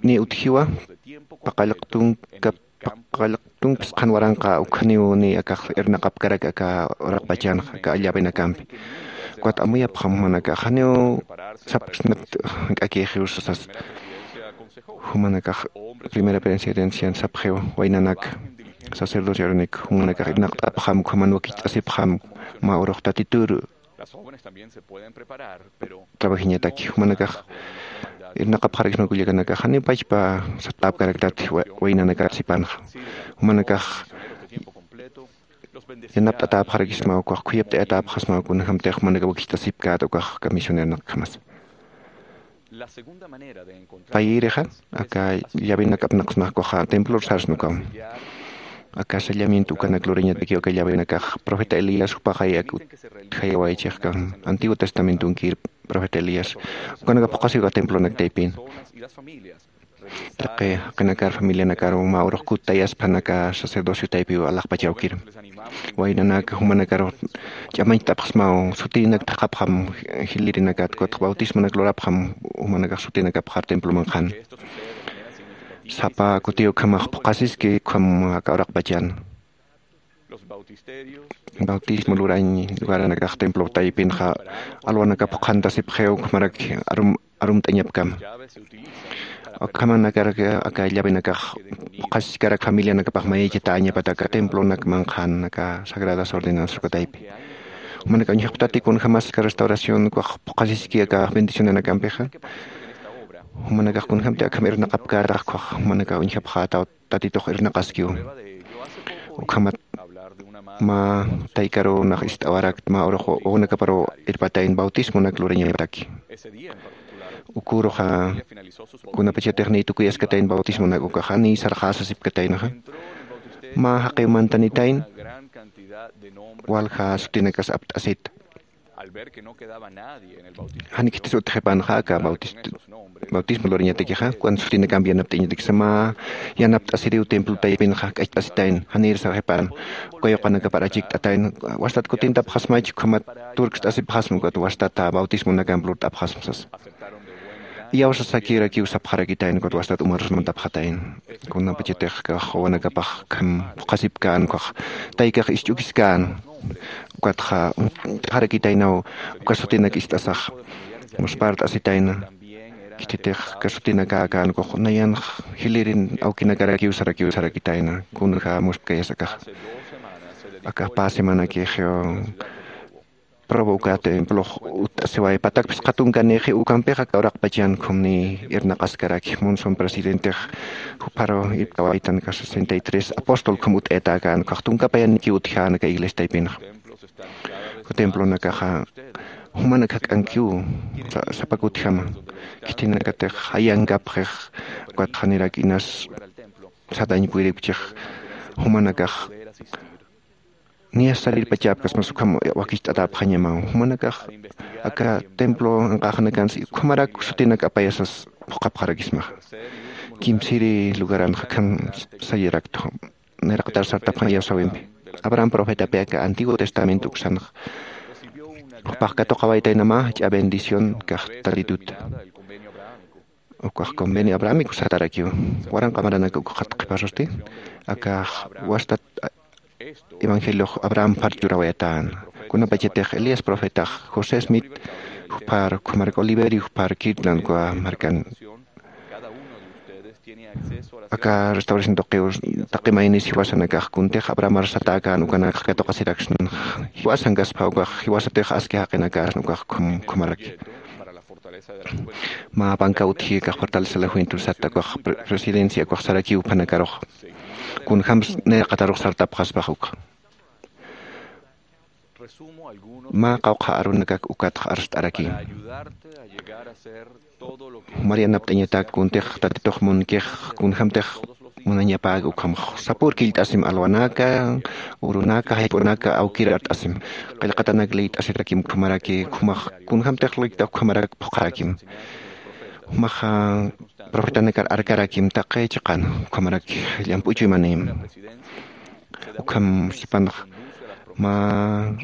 Ni utjiwa paqallq tunka paqallq tunka phisqhan waranqa ukhaniw ni akax irnaqapkarak aka uraqpachanxa aka llavenakampi. Ukat amuyapxam jumanakax janiw sapksnat jank'akïxiw sasas. Jumanakax primera presidencian sapxiw waynanaka sacerdocio arunik jumanakax irnaqt'apxam ukhaman wakicht'asipxam mä urux tatitur trabajiñataki jumanakax irnaqapxarakisma kullakanakax janiw pachpa satäpkaraktat waynanakat sipanxa. Jumanakax yanapt'atäpxarakisma ukax khuyapt'ayatäpxasma kunjämtix jumanakax wakicht'asipkät ukax aka misioneronakjamas. Payïrixa aka llavenak apnaqsnax ukaxa templor sarsna ukaw. Aka sellamiento ukanak lurañatakiw aka llavenakax profeta elías jupaxay ak utjayawaychixkam antiguo testamentonkir profeta elías ukanakax phuqhasiw aka templonak taypin. Taqi jaqinakar familianakaru mä urux kuttayaspan aka sacerdocio taypiw alaxpachawkir. Waynanaka jumanakaru ch'amañcht'apxsmaw sutinak thaqhapxam jilirinakat ukatx bautismonak lurapxam jumanakax sutinakapxar temploman qhan. Sapa kutiw ukhamax phuqhasiski ukham aka uraqpachan bautismo lurañ lugaranakax templo taypinxa alwanakap qhantasipxiw ukhamarak arumt'añapkama. Ukhamanakarak aka llavenakax phuqhasiskarak familianakapax mayaychatäñapat aka templonak manqhan aka sagradas ordenanzas uka taypi. Jumanakax uñjapxtati kunjämas aka restauración ukax phuqhasiski aka bendicionanakampixa. Jumanakax kunjämti akham irnaqapkätax ukax jumanakax uñjapxätaw tatitux irnaqaskiw. Ukhamat mä taykarunax ist'awarakt mä urux wawanakaparuw irpatayn bautismonak lurañataki. Uküruxa kunapachatix niy tukuyaskatayn bautismonak ukaxa niy sarxäsasipkataynaxa mä jaqiw mantanitayn walja sutinakas apt'asita. Jan khitis utjipanxa aka bautismo lurañatakixa cuando sutinakamp yanapt'añatakisa mä yanapt'asiriw templo taypinxa k'acht'asitayn janir sarxipan. Uka yuqanakapar achikt'atayn wastat kutintapxasmach ukhamat turkst'asipxasma ukat wastata bautismonakamp lurt'apxasma sasa. Iyawsasakirakiw sapxarakitayn ukat wastat umarus mantapxatayn. Kunapachatix kax wawanakapax kham phuqhasipkän ukax taykax isch'ukiskän ukatxa uñt'axarakitaynaw uka sutinak ist'asax muspart'asitayna. Khititix kasutinaka akan ukax nayanx jilirin awkinakarakiw sarakiw sarakitayna kunja muspkayas akax. Akax pä semanakixiw prueba uka templox utt'asiway patak phisqa tunkanixi ukampix aka uraqpachan khumni irnaqaskaraki monson presidentix jupharu irptawaytan aka sesenta y tres apóstol khum utt'ayata akan ukax tunka payanikiw utjän aka iglesia taypinxa. Uka templonakaxa jumanak jak'ankiw sapak utjama. Khitinakatix jayankapxix ukatxa nirak inas satañ puyripchix jumanakax niyas sarirpachäpkasmas ukham wakicht'atäpxañamaw jumanakax aka templo anqäxanakansi ukhamarak sutinak apayasas phuqhapxarakismaxa. Kimsiri lugaranxa akham sayaraktu niraqtar sartapxañ iyawsäwimpi. Abraham profetapi aka Antiguo Testamento uksanxa jupax katuqawaytaynamä jach'a bendición kax tatituta. Ukax convenio abrahamico satarakiw. Waranqa maranaka ukxat qhipasusti akax wastat evangeliox Abraham phar churawayatän. Kunapachatix Elías profetax, José Smith juphar, ukhamaraki Oliverio juphar Kirtland uka markan. Aka restauración tuqiw taqi maynis jiwasanakax kuntix Abrahamar satäkän ukanakax katuqasiraksna. Jiwasankaspa ukax jiwasatix aski jaqinakäsna ukax ukhamaraki. Mä panka utji akax fortaleza la juventud sata ukax pre- presidencia ukax sarakiw juphanakarux. Kunjämsa nayraqatarux sartapxaspax ukxa. Mä qawqha arunakak ukatx arst'araki. Jumar yanapt'añatak kuntix tatitux munkix kunjämtix munañapäki ukhamx sapür killt'asim alwanaka, urunaka, jayp'unaka awkir art'asim. Qillqatanak liyt'asirakim ukhamaraki, ukhamax kunjämtix liyt'a ukhamarak phuqharakim. Jumaxa profetanakar arkarakim taqi chiqan, ukhamarak llamp'u chuymanïm. Ukham sipanx mä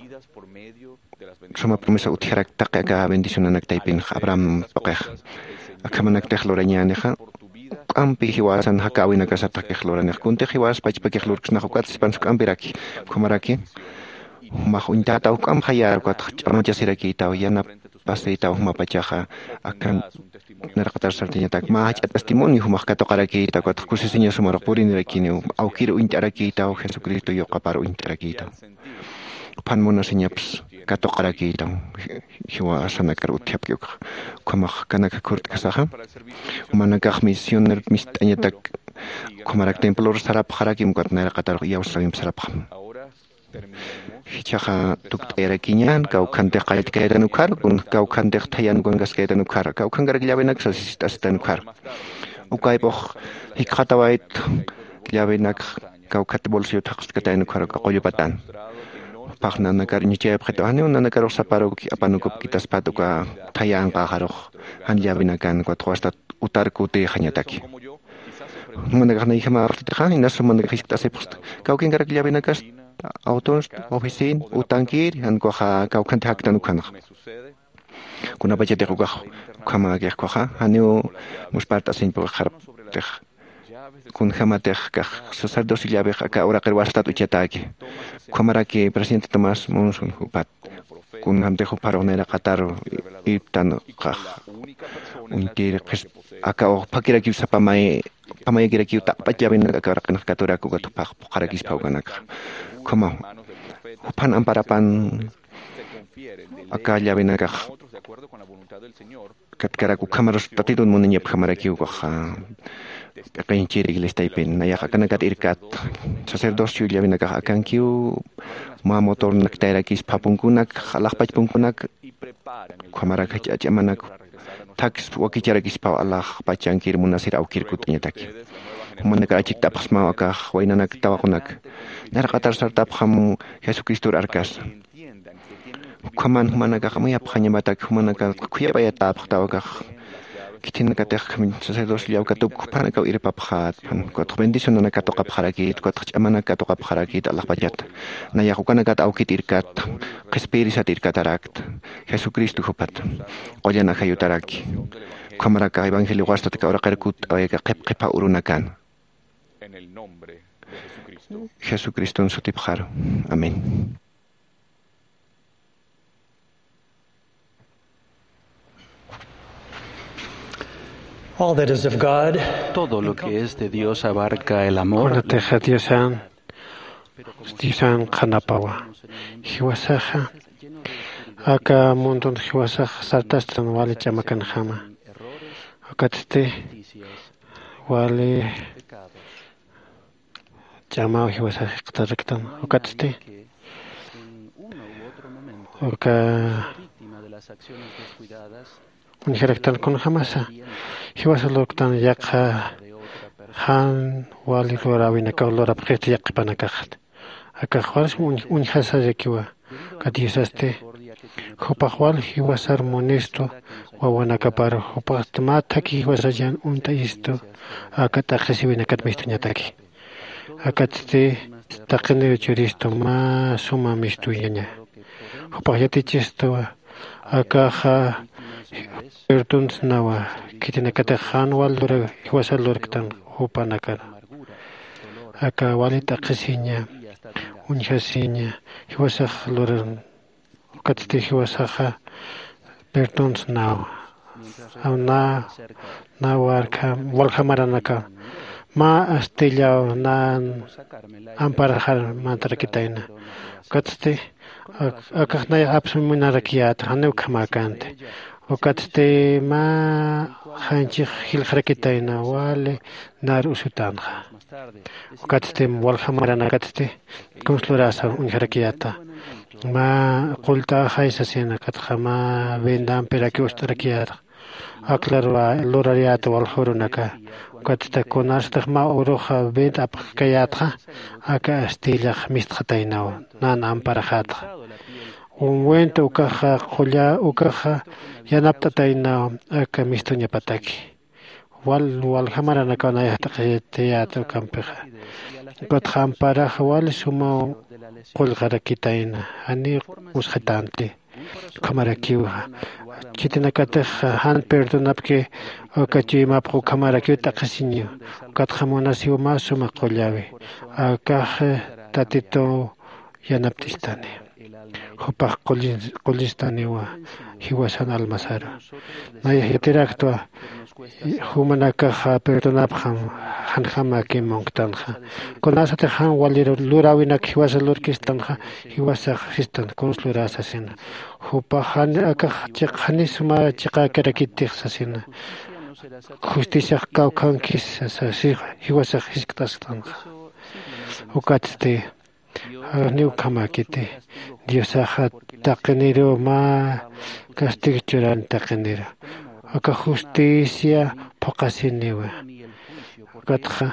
suma promesa utjarak taqi aka bendicionanak taypinx Abraham tuqix. Akhamanaktix lurañänixa juk'ampi jiwasan jakäwinakasatix luranixa. Kuntix jiwas pachpakix lurksnax ukat sipan juk'ampiraki. Ukhamaraki jumax uñtätaw juk'amp jayar ukatx ch'amachasirakïtaw, yanapasïtaw jumapachaxa. Akan nayraqatar sartañatak mä jach'a testimonio jumax katuqarakïtaw ukatx kusisiñas jumarux purinirakiniw. Awkir uñt'arakïtaw, Jesucristo yuqapar uñt'arakïtaw. Juphan munasiñaps katuqarakïtaw jiwasanakar utjapki ukxa. Ukhamax kanakxa khurt'kasaxa jumanakax misioner mist'añatak ukhamarak templor sarapxarakim ukat nayraqatarux iyawsawimp sarapxam. Jichhaxa tukt'ayarakiñän kawkhantix qalltkaytan ukhar, kun kawkhantix thayan ukankaskaytan ukhar, kawkhankarak llavenak sasist'asitan ukhar. Ukaypux jikxatawayt llavenak kawkhat bolsillo thaqstkatayan ukhar uka qullupatan. Jupax nanakar ñuchayapxita, janiw nanakarux saparuk apanukupkitaspat uka thayanqaxarux jan llavenakan ukat wastat utar kutïxañataki. Jumanakax nayjamaxtitixa inas jumanakax jiskt'asipxsta, kawkinkarak llavenakas, autonsta, oficina, utankir jan ukaxa kawkhanti jaktan ukhanaxa. Kunapachatix ukax ukhamäkix ukaxa janiw muspart'asiñ puqixaraptix. Kunjämatix kax sacerdocio llavix aka uraqir wastat uchatäki. Ukhamaraki presidente Tomás Monson jupat kunjämtix jupharux nayraqatar irptan ukax uñtir qhis aka uxphakirakiw sapamay pamayakirakiw taqpach llavenak aka uraqinx katurak ukat juphax phuqharakispa ukanakxa. Ukhamaw juphan amparapan aka llavenakax katkarak ukhamarus tatitun muniñapjamarakiw ukaxa. P'iqinchir iglestaypin nayax akanakat irkat sacerdocio llavenakax akankiw. Mä motornak tayrakis phapunkunak alaxpach punkunak ukhamarak jach'amanak thaks wakicharakispaw alaxpachankir munasir awkir kut'añataki. Jumanakar achikt'apxsmaw akax waynanak tawaqunak. Nayraqatar sartapxam jesucristor arkasa. Ukhaman jumanakax amuyapxañamatak jumanakar khuyap'ayatäpxtaw akax khithinakatix sacerdocio llawkatup juphanakaw irpapxät. Ukatx bendicionanak katuqapxarakït ukatx ch'amanak katuqapxarakït alaxpachat. Nayax ukanakat awkit irkat qhispiyirisat irkatarakta jesucristo jupat qullan ajayutaraki. Ukhamaraka evangelio wastataka uraqir kutt'awayaka qhip qhipha urunakan jesucriston sutipxaru. Amén. All that is of God. Todo lo que es de Dios abarca el amor. Kunatixa diosan diosan qhanapawa. Jiwasaxa aka mundun jiwasax sartastan wali ch'amakanjama. Ukatsti wali ch'amaw jiwasax jikxataraktan. Ukatsti uka uñjaraktan kunjämasa jiwasa lurktan yaqha jan wali luräwinakaw lurapxista yaqhipanakaxat. Akax wals uñjasarakiwa. Ukat diosasti jupax wal jiwasar munistu wawanakapar jupaxsti mä thakhi jiwasar jan uñt'ayistu aka t'aqhisiwinakat mistuñataki. Akatsti taqiniw churistu mä suma mistuyaña. Jupax yatichistuwa akaxa perdonsnawa khitinakatix jan wal lura jiwasa lurktan jupanakar aka wali t'aqhisiña uñjasiña jiwasax luran. Ukatsti jiwasaxa perdonsnawa na na warkha waljamaranaka mä astillaw nan amparaxar mantarakitayna. Ukatsti akax nay apsumunarakiyäta janiw ukhamäkänti. Ukatsti mä janchix jilxarakitayna wali nar usutänxa. Ukatsti waljamaranakatsti kunslurasa uñjarakiyäta mä qullt'axay sasina ukatxa mä vendampi raki ust'arakiyäta. Aklar lurariyäta waljurunaka. Ukatsta kunasatix mä uruxa vent apxkayätxa aka astillax mistxataynaw nan amparaxätxa. Wenta ukaxa qulla ukaxa yanapt'ataynaw aka mistuñapataki. Wal waljamaranakaw nayax t'aqhitayäta ukampixa. Ukatxa amparaxa wali sumaw qullqarakitayna janiw usxatanti. Ukhamarakiwa khitinakatix jan perdonapki uka chuymapxa ukhamarakiw t'aqhisiñiw. Ukatxa munasiw mä suma qullawi akax tatituw yanapt'istani. Jupax qullistaniwa jiwasan almasaru. Nayax yatiraktwa jumanakaxa perdonapxam janjamakim munktanxa. Kunasatix jan wali luräwinak jiwasa lurkistanxa jiwasax sistan kunslurä sasina. Jupax jan akax chiq jani suma chiqäkirakitix sasina. Justiciax kawkhankis sasa jiwasax jiskt'asktanxa. Ukatsti janiw ukhamäkiti. Diosaxa taqiniruw mä castigo churan taqiniru. Aka justicia phuqhasiniwa. Ukatxa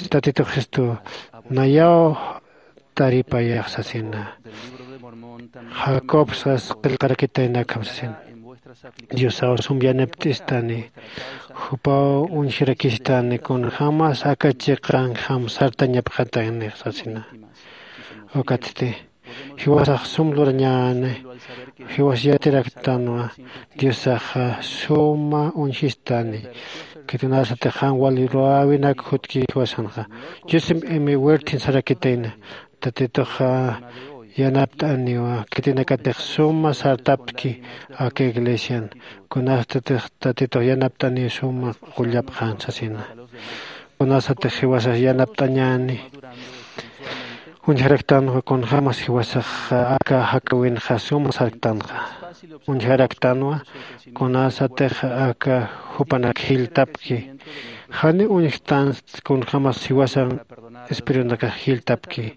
tatitux jistu nayaw taripayax sasina. Jacob sas qillqarakitaynakham sasina. Diosaw sum yanapt'istani. Jupaw uñjirakistani kunjämas aka chiqanjam sartañapxataynix sasina. Ukatsti jiwasax sum lurañäni. Jiwas yatiraktanwa diosaxa suma uñjistani. Khitinasatix jan wali luräwinak jutki jiwasanxa. Joseph m werthin sarakitayna. Tatituxa yanapt'aniwa khitinakatix suma sartapki aka iglesian. Kunastatix tatitux yanapt'aniw suma qullapxan sasina. Kunasatix jiwasas yanapt'añäni uñjaraktanwa kunjämas jiwasax aka jakäwinxa suma sarktanxa. Uñjaraktanwa kunasatix aka jupanak jiltapki. Jani uñjtansti kunjämas jiwasan espirunakax jiltapki.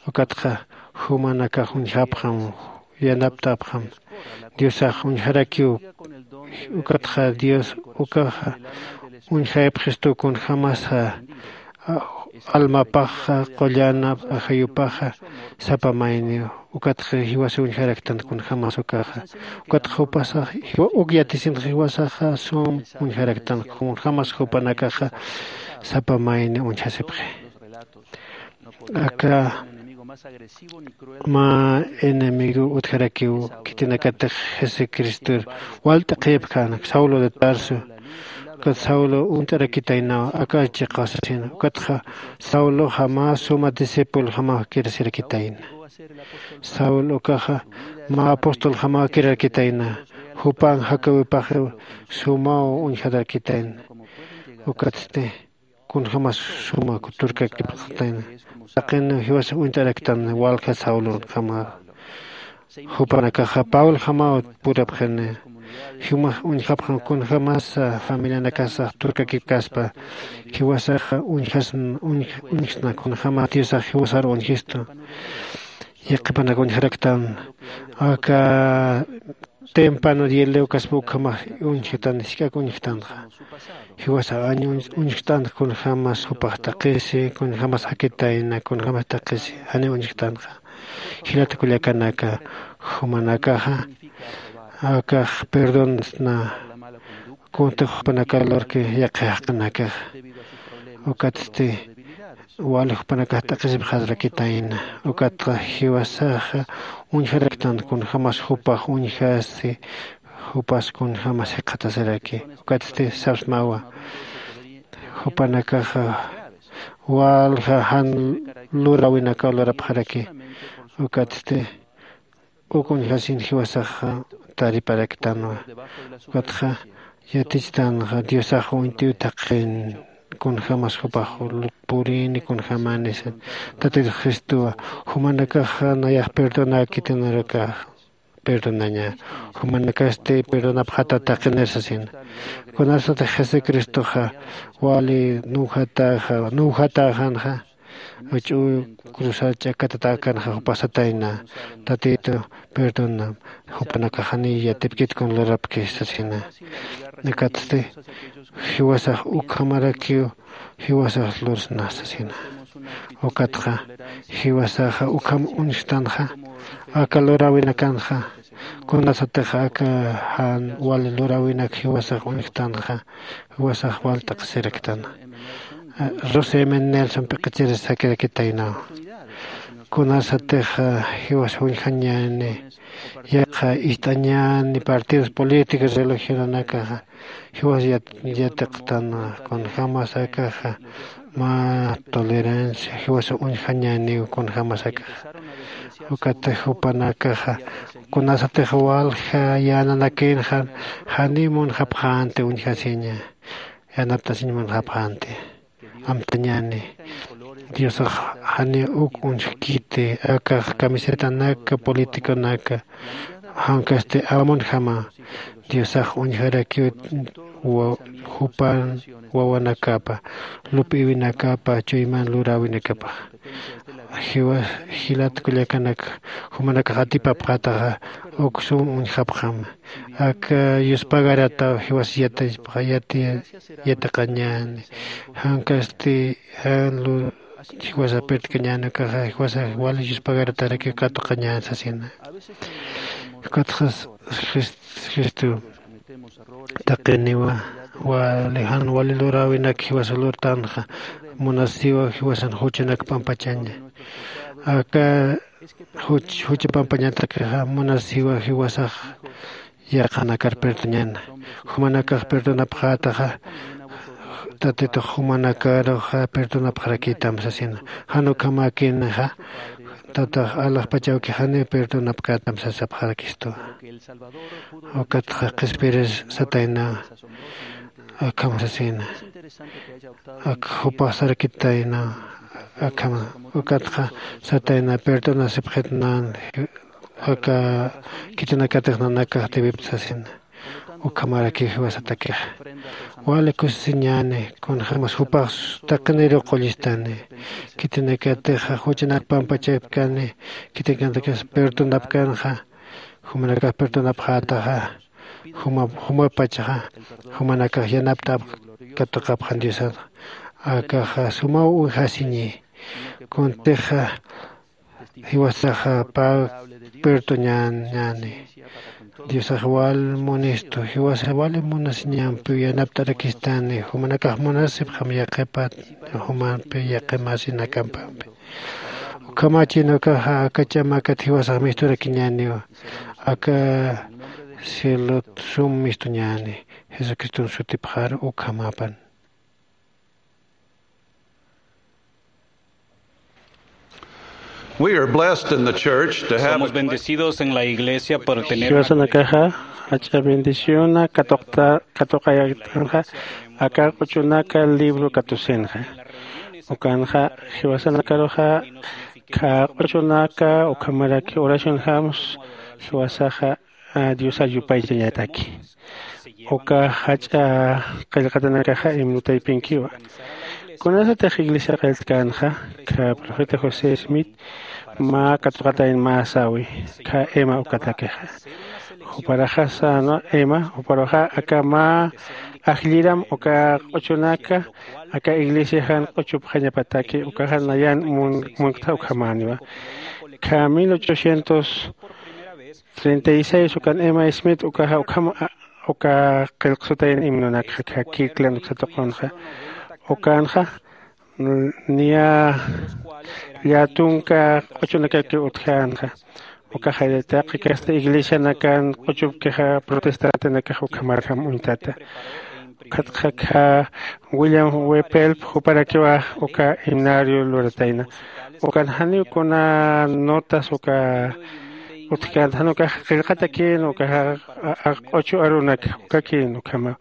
Ukatxa jumanakax uñjapxam yanapt'apxam. Diosax uñjarakiw. Ukatxa dios ukaxa uñjayapxistu kunjämasa almapaxa qullanap ajayupaxa sapa mayniw. Ukatxa jiwasa uñjaraktan kunjämas ukaxa. Ukatxa jupasax uk yatisinxa jiwasaxa sum uñjaraktan kunjämas jupanakaxa sapa mayni uñjasipxi. Aka mä enemigo utjarakiw khitinakatix jesucristor walt'aqhipkän saulo de tarso. Ukat saulo uñt'arakitaynaw aka chiqa sasin ukatxa sauloxa mä suma discipuljamaw kirasirakitayna. Saul ukaxa mä apostoljamaw kirarakitayna. Jupan jakäwipaxiw sumaw uñjatarakitayna. Ukatsti kunjämas suma turkakipxatayna. Taqin jiwasa uñt'araktan walja saulonjama. Jupanakaxa pablojamaw purapxini. Jimas uñjapxan kunjämas familianakasax turkakipkaspa jiwasaxa uñjasna kunjämas diosax jiwasar uñjistu. Yaqhipanak uñjaraktan aka tempano dielewkaspa ukhamax uñjtan jisk'ak uñjtanxa. Jiwasa aña uñjt'anxa kunjämas jupax taqisi kunjämas jakitayna kunjämas taqisi janiw uñjtanxa. Jilata kullakanaka jumanakaxa akax perdonsna. Kuntix jupanaka lurki yaqhi jaqinakaxa. Ukatsti wali jupanakax t'aqhisipxarakitayna. Ukatxa jiwasaxa uñjaraktan kunjämas jupax uñjasi, jupas kunjämas jikxatasiraki. Ukatsti sapsmawa, jupanakaxa walja jan luräwinakaw lurapxaraki. Ukatsti uk uñjasin jiwasaxa tariparaktanwa. Ukatxa yatichtanxa diosax uñt'iw taqin kunjämas jupax purini kunjämani. Tatit jesucristowa, jumanakaxa nayax perdonäkitinarakax perdonaña, jumanakasti perdonapxata taqinir sasina. Kunasatix jesucristoxa wali nuwjatäxa nuwjatäxänxa, ch'u cruzar ch'akatatäkanxa jupax satayna, tatitu perdonam, jupanakax janiy yatipkit kun lurapki sasina. Ukatsti jiwasax ukhamarakiw jiwasax lursna sasina. Ukatxa jiwasaxa ukham uñjtanxa, aka luräwinakanxa, kunasatix aka jan wali luräwinak jiwasax uñjtanxa, jiwasax wal t'aqhisiraktan. Rose men nelson p'iqichirsakirakitaynaw. Kunasatix jiwas uñjañäni, yaqha ist'añäni partidos políticos religionanakaxa jiwas yatiqtan, kunjämas akaxa mä tolerancia jiwas uñjañäniw kunjämas akaxa. Ukat jupanakaxa kunasatix walja yänanakïnxa, janiw munxapxänti uñjasiña, yanaptasiñ munxapxänti. Amtañäni, diosax janiw uk uñjkiti akax camisetanaka politiconaka, jankasti amunjama diosax uñjarakiw jupan wawanakapa, lup'iwinakapa chuyman luräwinakapax. Jiwas jilat kullakanak, jumanakax atipapxataxa uk sum uñjapxam. Aka yuspagarataw jiwas yatipxa yati yatiqañäni, jankasti jan lu jiwasa pertkañäni ukaxa jiwasa wali yuspagaratarak katuqañäni sasina. Ukatxa jesucristo taqiniwa, wali jan wali luräwinak jiwasa lurtanxa, munasiwa jiwasan juchanak pampachaña. Aka juch jucha pampañatakixa munasiwa jiwasax yaqhanakar perdoñäna. Jumanakax perdonapxätaxa, tatitux jumanakaruxa perdonapxarakitam sasina. Jan ukhamäkinixa, tatax alaxpachawki janiw perdonapkätam sasapxarakistu. Ukatxa qhispiris satayna, akham sasina. Ak jupax sarakitayna, akham ukatxa satayna perdonasipxitnan, aka khitinakatix nanakax debipta sasina. Ukhamarakiw jiwasatakixa wali kusisiñäni, kunjämas jupax taqiniruw qullistani. Khitinakatixa juchanak pampachapkani, khitinakatixa perdonapkanxa, jumanakax perdonapxätaxa, juma jumapachaxa jumanakax yanapt'apx katuqapxan diosax. Akaxa sumaw uñjasiñi. Kuntixa jiwasaxa pä perdoñäni. Diosax wal munistu, jiwasax wali munasiñampiw yanapt'arakistani, jumanakax munasipxam yaqhipat jumampi yaqhimasinakampi. Ukhamachin ukaxa aka ch'amakat jiwasax misturakiñäniwa, aka cielot sum mistuñäni. Jesucriston sutipxar ukhamapan. We are blessed in the church to have Somos bendecidos en la iglesia por tener una jiwasanakaxa jach'a bendiciona katuqta katuqayaktanxa, aka q'uchunaka libro katusinxa. Ukanxa jiwasanakaruxa kha q'uchunaka ukhamaraki oracionjams jiwasaxa diosar yupaychañataki. Uka jach'a qillqatanakaxa imnutaypinkiwa. Kunasatix iglesia qilltkanxa, kha profeta josé smith mä katuqatayn mä sawi, kha ema ukatakixa. Juparaxasana ema juparuxa aka mä ajlliram uka q'uchunaka aka iglesiaxan q'uchupxañapataki ukaxa nayan munktxa ukhamäniwa. Kha mil ochocientos treinta y seis ukan ema smith ukaxa ukham uka qillqsutayan imnunakxa kha kirkland uksatuqunxa. Ukanxa niya llatunka q'uchunakakiw utjänxa. Ukaxa taqi kasta iglesianakan q'uchupkixa protestantenakax ukhamarjam uñtata. Ukatxa kha william wepelp juparakiwa uka himnario luratayna. Ukan janiw kuna notas uka utjkänta jan ukax qillqatakïn ukaxa q'uchu arunak ukakin ukhama.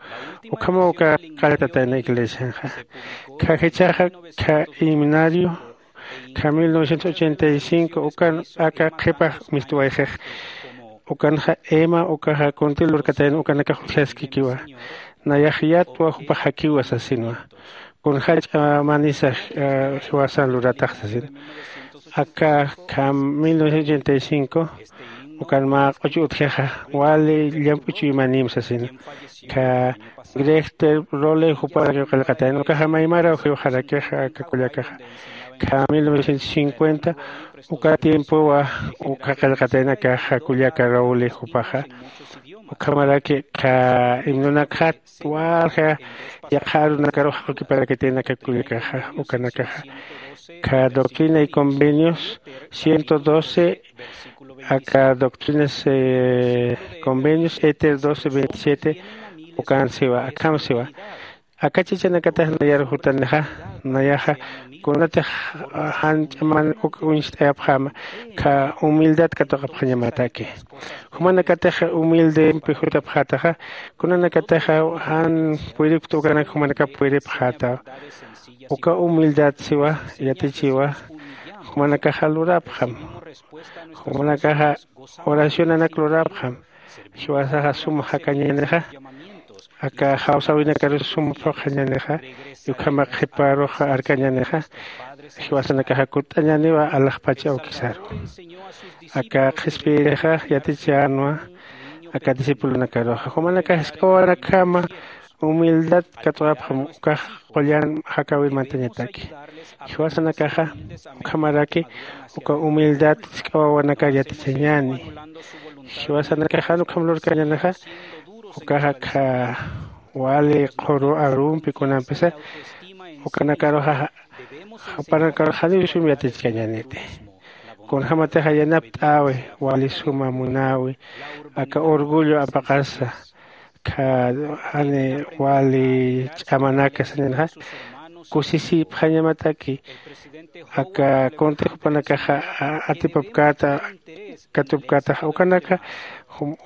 Ukhama uka qalltatayna iglesianxa. Kha jichhaxa kha himnario kha mil novecientos ochenta y cinco ukan aka qhipax mistuwayxix. Ukanxa ema ukaxa kunti lurkatayna ukanakax utjaskikiwa. Nayax yatwa jupax jakiwa sasinwa. Kun jach'a manisa jiwasan luratax sasin. Aka kha mil novecientos ochenta y cinco ukan mä q'uchu utjixa wali llamp'u chuymanïm sasina. Kha grejter role juparakiw qillqatayna ukaxa maymaraw jiwxarakixa aka kullakaxa. Kha mil novecientos cincuenta uka tiempowa uka qillqatayna akaxa kullaka role jupaxa. Ukhamaraki kha himnonakxat walja yaqha arunakarux jaqukiparakitayna aka kullakaxa ukanakaxa. Kha doctrina y convenios ciento doce, aka doctrinas convenios éter doce veintisiete. Ukan siwa akham siwa. Aka chachanakatax nayar jutanixa nayaxa kunatix jan ch'aman uk uñst'ayapxäma kha humildad katuqapxañamataki. Jumanakatix humildempi jutapxätaxa kunanakatixa jan puyripkta ukanak jumanakap puyripxätaw. Uka humildad siwa yatichiwa jumanakaxa lurapxam. Jumanakaxa oracionanak lurapxam. Jiwasaxa suma jakañänixa aka jawsäwinakarus suma phuqhañänixa. Ukhama qhiparux arkañänixa jiwasanakaxa kutt'añäniwa alaxpach awkisaru. Aka qhispiyirixa yatichänwa aka discipulonakaruxa jumanakax jisk'a wawanakjama humildad katuqapxam ukax qullan jakäwir mantañataki. Jiwasanakaxa ukhamaraki uka humildad jisk'a wawanakar yatichañäni. Jiwasanakax jan ukham lurkañänixa ukaxa kha wali qhuru arumpi kunampisa ukanakaruxa jupanakaruxa janiw sum yatichkañäniti. Kunjämatixa yanapt'äwi wali suma munäwi aka orgullo apaqasa kha jani wali ch'amanaka sañanxa kusisipxañamataki. Aka kunti jupanakaxa atipapkäta katupkätaxa ukanaka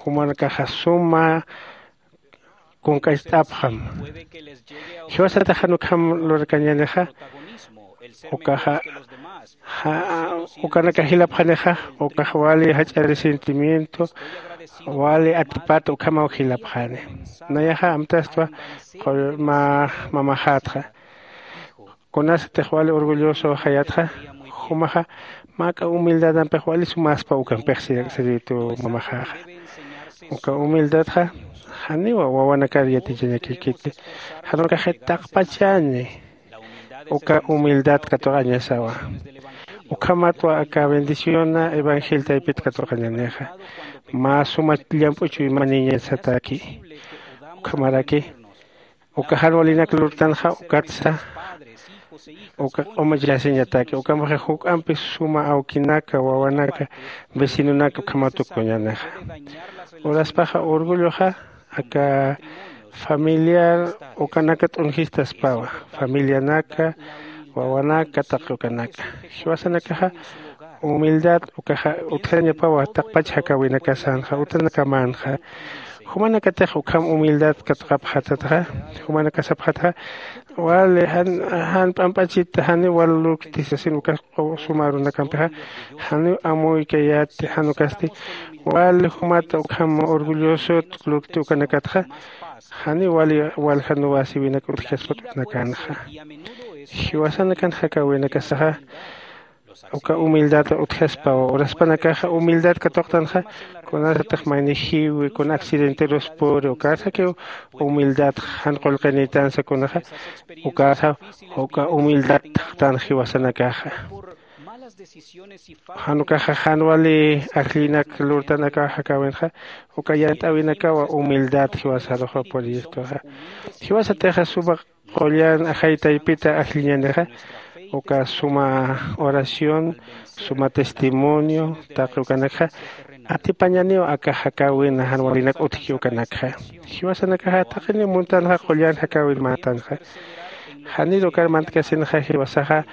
jumanakaxa suma kunk'acht'apxam. Jiwasatax jan ukham lurkañänixa ukaxa ukanaka jilapxanixa ukax wali jach'a resentimiento wali atipata ukhamaw jilapxani. Nayaxa amtastwa mä mamaxätxa kunasatix wali orgulloso jayatxa jumaxa mä k'a humildadampix wali sumäspa ukampix sirvitu mamaxäxa. Uka humildadxa janiwa wawanakar yatichañakïkiti. Jan ukaxit taqpachañi uka humildad katuqañasawa. Ukhamatwa aka bendiciona evangel taypit katuqañanixa mä suma llamp'u chuymanïñasataki. Ukhamaraki uka jan walinak lurtanxa ukatsa uka q'umachasiñataki ukampixi juk'ampi suma awkinaka wawanaka vecinonaka ukhamat tukuñanixa. Uraspaxa orgulloxa aka familiar ukanaka t'unjistaspawa familianaka wawanaka taqi ukanaka jiwasanakaxa humildad ukaxa utjañapawa taqpach jakäwinakasanxa utanakamanxa. Jumanakatix ukham humildad katuqapxatatxa jumanakasapxatxa wali jan p'amp'achit janiw wal lurkti sasin ukas suma arunakampixa janiw amuykayäti jan ukasti wali jumata ukham orgullosot lurkti ukanakatxa janiw wali waljanuwasiwinak utjkaspat utnakanxa. Jiwasanakan jakäwinakasaxa uka humildad utjaspaw uraspanakaxa humildad katuqtanxa kunasatix maynijiwi kuna accidenteruspuri ukasakiw humildad jan qullqinïtansa kunaxa ukasa uka humildad taqtan jiwasanakaxa. Jan ukaxa jan wali ajllinak lurtanakaw jakäwinxa uka yant'äwinakawa humildad jiwasaruxa puriyistuxa. Jiwasatixa suma qullan ajay taypita ajlliñanixa, uka suma oración, suma testimonio taqi ukanakxa atipañaniw aka jakäwina jan walinak utjki ukanakxa. Jiwasanakaxa taqiniw muntanxa qullan jakäwir mantanxa. Janir ukar mantkasinxa jiwasaxa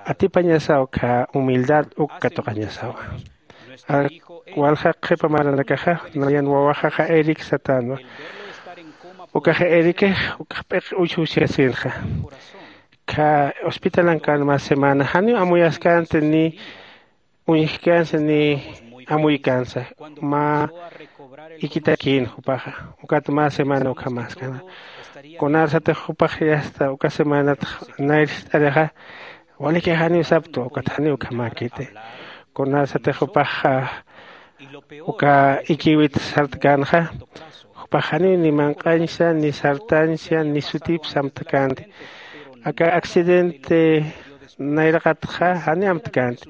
atipañasaw khä humildad uk katuqañasawa. Walja qhipa maranakaxa nayan wawaxaxa Eric satänwa. Ukaxa Ericix ukax p'iq uchusiasinxa. Khä hospitalankan mä semana janiw amuyaskänti ni uñjkänsa ni amuykansa. Mä ikitakïn jupaxa ukat mä semana ukhamäskana. Kunarsatix jupax yasta uka semanatx nayr jist'arixa, waliki janiw saptwa ukat janiw ukhamäkiti. Kunarsatix jupax uka ikiwit sartkänxa, jupax janiw ni manq'añsa ni sartañsa ni sutip samtkänti. Aka accidente nayraqatxa jani amtkänti.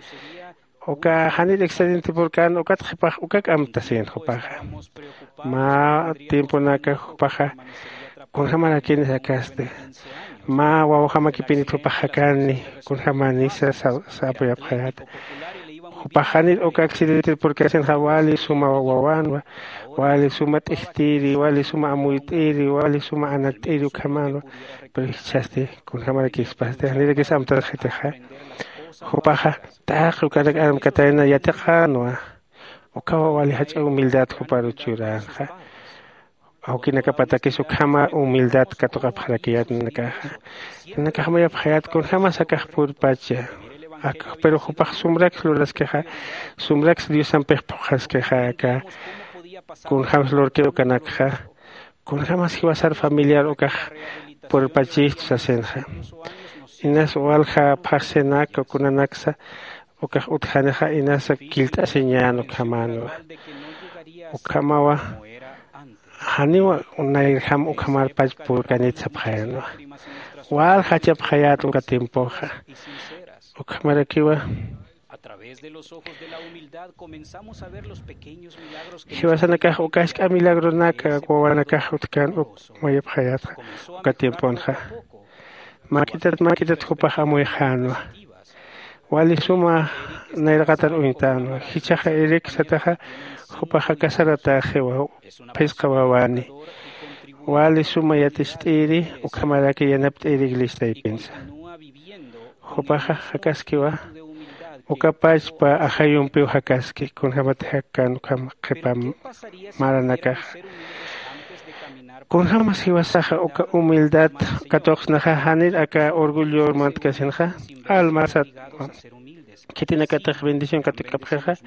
Uka janir accidente purkän ukat qhipax ukak amtasïn jupaxa. Mä tiemponaka jupaxa kunjamarakini jakasti. Mä wawjamakipinit jupax jakäni kunjamanisa sapuyapxayäta. Jupax janir uka accidente purkasinxa wali suma wawänwa, wali suma t'ijtiri, wali suma amuyt'iri, wali suma anakt'iri ukhamänwa. Pero jichhasti kunjamarakïspasti janirakis amtasxitixa. Jupaxa taqi ukanak armkatayna yatiqänwa. Ukhawa wali jach'a humildad juparu churänxa. Awkinakapatakis ukhama humildad katuqapxarakiyät nanakaxa. Nanakax mayapxayät kunjämas akax purpacha. Akax pero jupax sumraks luraskixa, sumraks diosampix phuqhaskixa aka kunjämsa lurki ukanakxa. Kunjämas jiwasar familiar ukax purpachistu sasinxa. Inas walja phaxsinaka kunanaksa ukax utjanixa inasa killt'asiñän ukhamänwa. Ukhamawa janiwa nayrjam ukhamarpach purkanit sapxayanwa. Wal jachapxayät uka tiempoxa. Ukhamarakiwa jiwasanakax uka jisk'a milagronaka wawanakax utjkän uk mayapxayätxa uka tiemponxa. Mak'itat mak'itat jupax amuyxänwa. Wali suma nayraqatar uñtänwa jichhaxa irikisataxa. Jupaxa casaratäxiwa phisqa wawani. Wali suma yaticht'iri ukhamaraki yanapt'iri iglesiaypinsa. Jupaxa jakaskiwa uka pachpa ajayumpiw jakaski kunjämatix jakkän ukham qhipa maranakaxa. Kunjämas jiwasaxa uka humildad katuqsnaxa janir aka orgullor mantkasinxa. Almasat khitinakatix bendición katukapxixa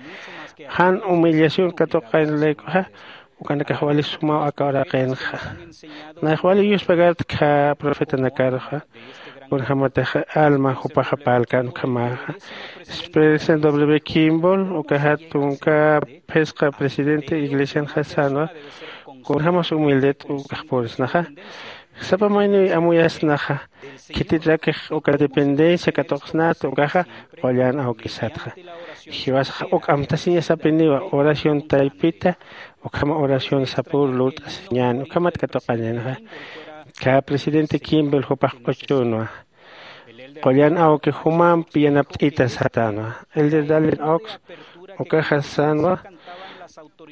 jan humillación katuqayn laykuxa. Ukanakax wali sumaw aka uraqinxa. Nayax wali yuspagartkha profetanakaruxa. Kunjämatix alma jupaxa parlkän ukhamäxa. Spencer W kimball ukaxa tunka phisqa presidente iglesianxa sänwa. Kunjämas humildet ukax purisnaxa. Sapa mayniw amuyasnaxa. Khitirakix uka dependencia katuqsnat ukaxa qullan awkisatxa. Jiwasax uk amtasiñasapiniwa oración taypita ukhama oración sapür lurt'asiñän ukhamat katuqañänxa. Khä presidente kimball jupax q'uchunwa. Qullan awki jumampi yanapt'ita satänwa. Elder dalen ox ukaxa sänwa.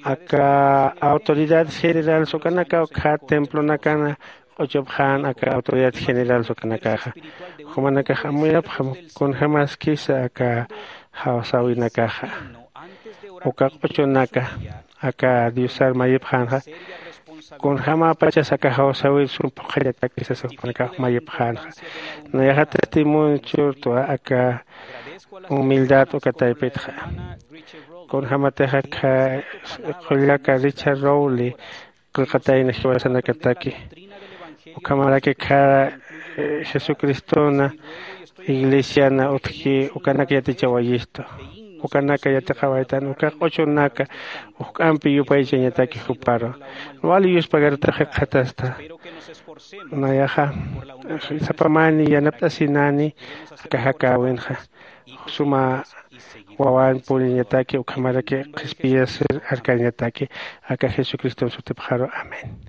Aka autoridades generales ukanakaw khä templonakana q'uchupxän aka autoridad general ukanakaxa. Jumanakax amuyapxam kunjämaskisa aka jawsäwinakaxa. Uka q'uchunaka aka diosar mayipxänxa. Kunjämäpachas aka jawsäwir sum phuqhañatakisasa jumanakax mayipxänxa. Nayaxa testimonio churtwa aka humildad uka taypitxa. Kunjämatixa aka qullaka richard rowley qillqatayna jiwasanakataki. Ukhamaraki khä jesucristona iglesiana utjki ukanak yatichawayistu. Ukanaka yatiqawaytan uka q'uchunaka ujk'ampi yupaychañataki juparu. Wali yuspagartax jikxatasta. Nayaxa sapamani yanapt'asinani aka jakäwinxa suma wawan puriñataki ukhamaraki qhispiyasir arkañataki aka jesucriston sutipxaru. Amén.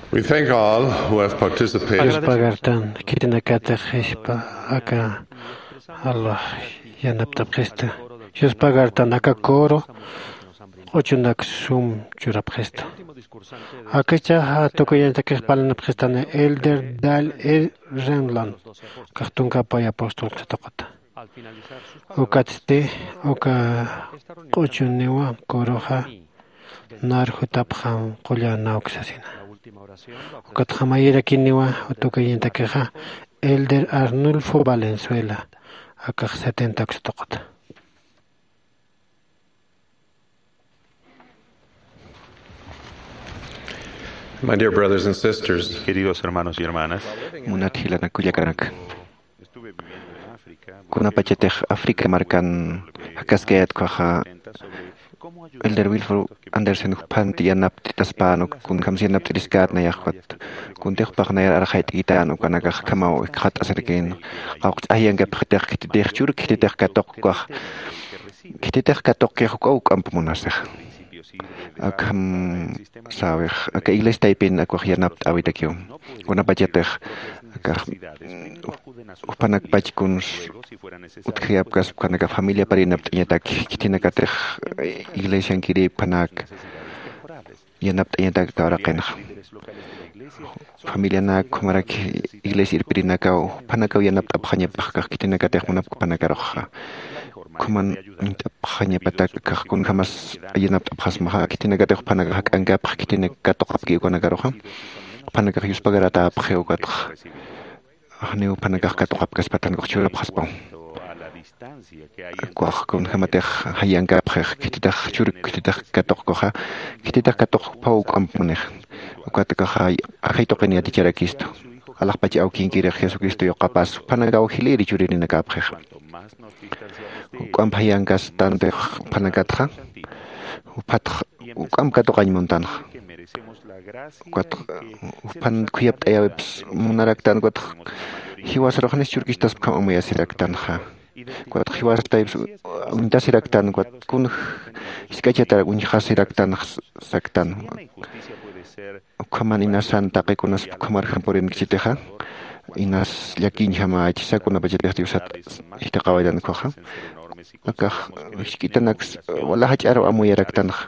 We thank all who have participated. Yuspagartan khitinakatix jispa aka Allah yanapt'apxista. Yuspagartan aka coro q'uchunak sum churapxista. Akachaxa tukuyantakix parlanapxistani Elder Dale E. Renlund, kax tunka pay apóstol katuqata. Ukatsti uka q'uchuniwa coroxa narjutapxam qullan awksasina. Ukatxa mayirakiniwa tukuyantakixa Elder Arnulfo Valenzuela, akax setenta awksatuqata. My dear brothers and sisters, queridos hermanos y hermanas, munat jilanak kullakanak, kunapachatix África markan jakaskayät ukkhaxa, Elder Wilford Andersen juphanti yanapt'itaspän, kunjams yanapt'iriskät nayax ukat. Kuntix jupax nayar arxayt'kitän ukanakax akhamaw ikxat'asirkin. Qawqch'ax yankapxitix khititix chur khititix katuq ukax. Khititix katuqkix ukaw ukamp munasix. Akham sawix aka iglesia taypin akwax yanapt'äwitakiw. Kunapachatix akax jupanakpach kuns utjayapkas, jupanakax familiapar yanapt'añatak, khitinakatix iglesiankirï jupanak yanapt'añatak aka uraqinxa. Familianak, ukhamarak iglesia irpirinakaw, jupanakaw yanapt'apxañapax kax khitinakatix munapki jupanakaruxa. Ukhaman uñt'apxañapatak kax kunjamas yanapt'apxasmaxa, khitinakatix jupanakax jak'ankapxi, khitinak katuqapki ukanakaruxa. Jupanakax yuspagaratäpxi ukatxa. Janiw jupanakax katuqapkaspatan ukax churapxaspaw. Ukax kunjamatix jayankapxix, khititix chur khititix katuqkuxa, khititix katuqpaw uk'amp munix. Ukat ukaxa ajay tuqin yaticharakistu. Alaxpach awkinkirix Jesucristo yuqapas, jupanakaw jilïri churirinakapxix. Uk'amp jayankastantix jupanakatxa, juphatx uk'amp katuqañ muntanxa. Ukat jupan khuyapt'ayäwips munaraktan, ukat jiwasarux janis churkistaspa ukham amuyasiraktanxa. Ukat jiwastayps uñtasiraktan, ukat kun jisk'achatarak uñjasiraktan saktan. Ukhaman inasan taqi kunas ukhamar jampurinkchitixa, inas llakiñjamächisa kunapachatix Diosat jithiqawaytan ukhaxa. Akax jisk'itanaks wala jach'aru amuyaraktanxa.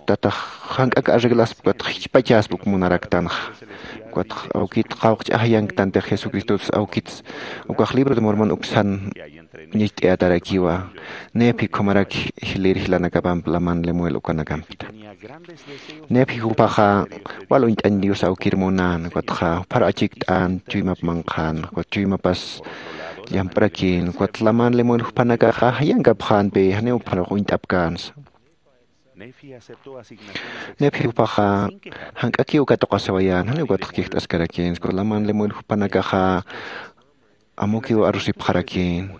Tatax jank'ak arreglaspa, ukatx jichpachaspa uk munaraktanxa. Ukatx awkit qawqch'ax yanktantix Jesucristots awkits ukax libro de Mormon uksan ñacht'ayatarakiwa. Nefi ukhamarak jilïr jilanakapamp Laman Lemuel ukanakampita. Nefi jupaxa wal uñt'añ Dios awkir munan, ukatxa juphar achikt'an, chuymap manqhan, ukat chuymapas llamp'rakïn, ukat Laman Lemuel jupanakaxa jayankapxänpi, janiw jupharux uñt'apkänsa. Nefi jupaxa jank'akiw katuqasiwayän, janiw ukatx kijt'askarakïn, ukat Laman Lemuel jupanakaxa amukiw arusipxarakïn.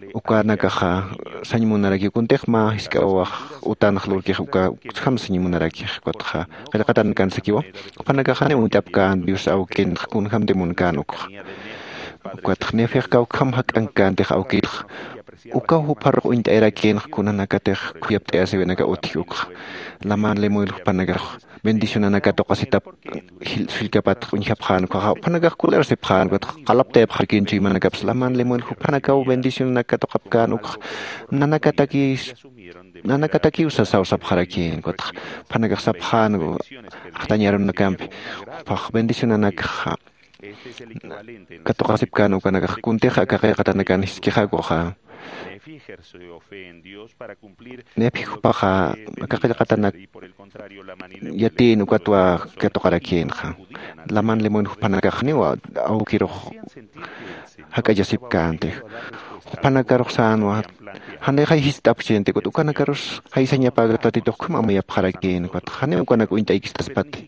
Ukanakaxa sañ munarakiw, kuntix mä jisk'awax utanx lurkix uka, uksjam sañ munarakix, ukatxa qillqatanakan sakiwa. Jupanakax janiw uñt'apkän Dios awkinx kunjamti munkän ukxa. Ukatx Nefix kawkham jak'ankkäntix awkitx, ukaw jupharux uñt'ayarakïnx kunanakatix khuyapt'ayasiwinaka utji ukxa. Laman Lemuel jupanakax bendicionanak katuqasitap jil-, sullkapatx uñjapxän ukhaxa, jupanakax kullarsipxän ukatx qalaptayapxarakïn chuymanakaps. Laman Lemuel jupanakaw bendicionanak katuqapkän ukxa, nanakataki, nanakatakiw sasaw sapxarakïn ukatx, jupanakax sapxän, jatañ arunakampi, jupax bendicionanakxa katuqasipkän ukanakax kuntix aka qillqatanakan jiskixakuxa. Nefi jupaxa aka qillqatanak yatïn ukatwa katuqarakïnxa. Laman Lemuel jupanakax janiw awkirux jak'achasipkänti. Jupanakarux sänwa, janixay jist'apxchïnti, ukat ukanakarus jaysañapäkta Tatitux ukham amuyapxarakïn, ukat janiw ukanak uñt'aykstaspati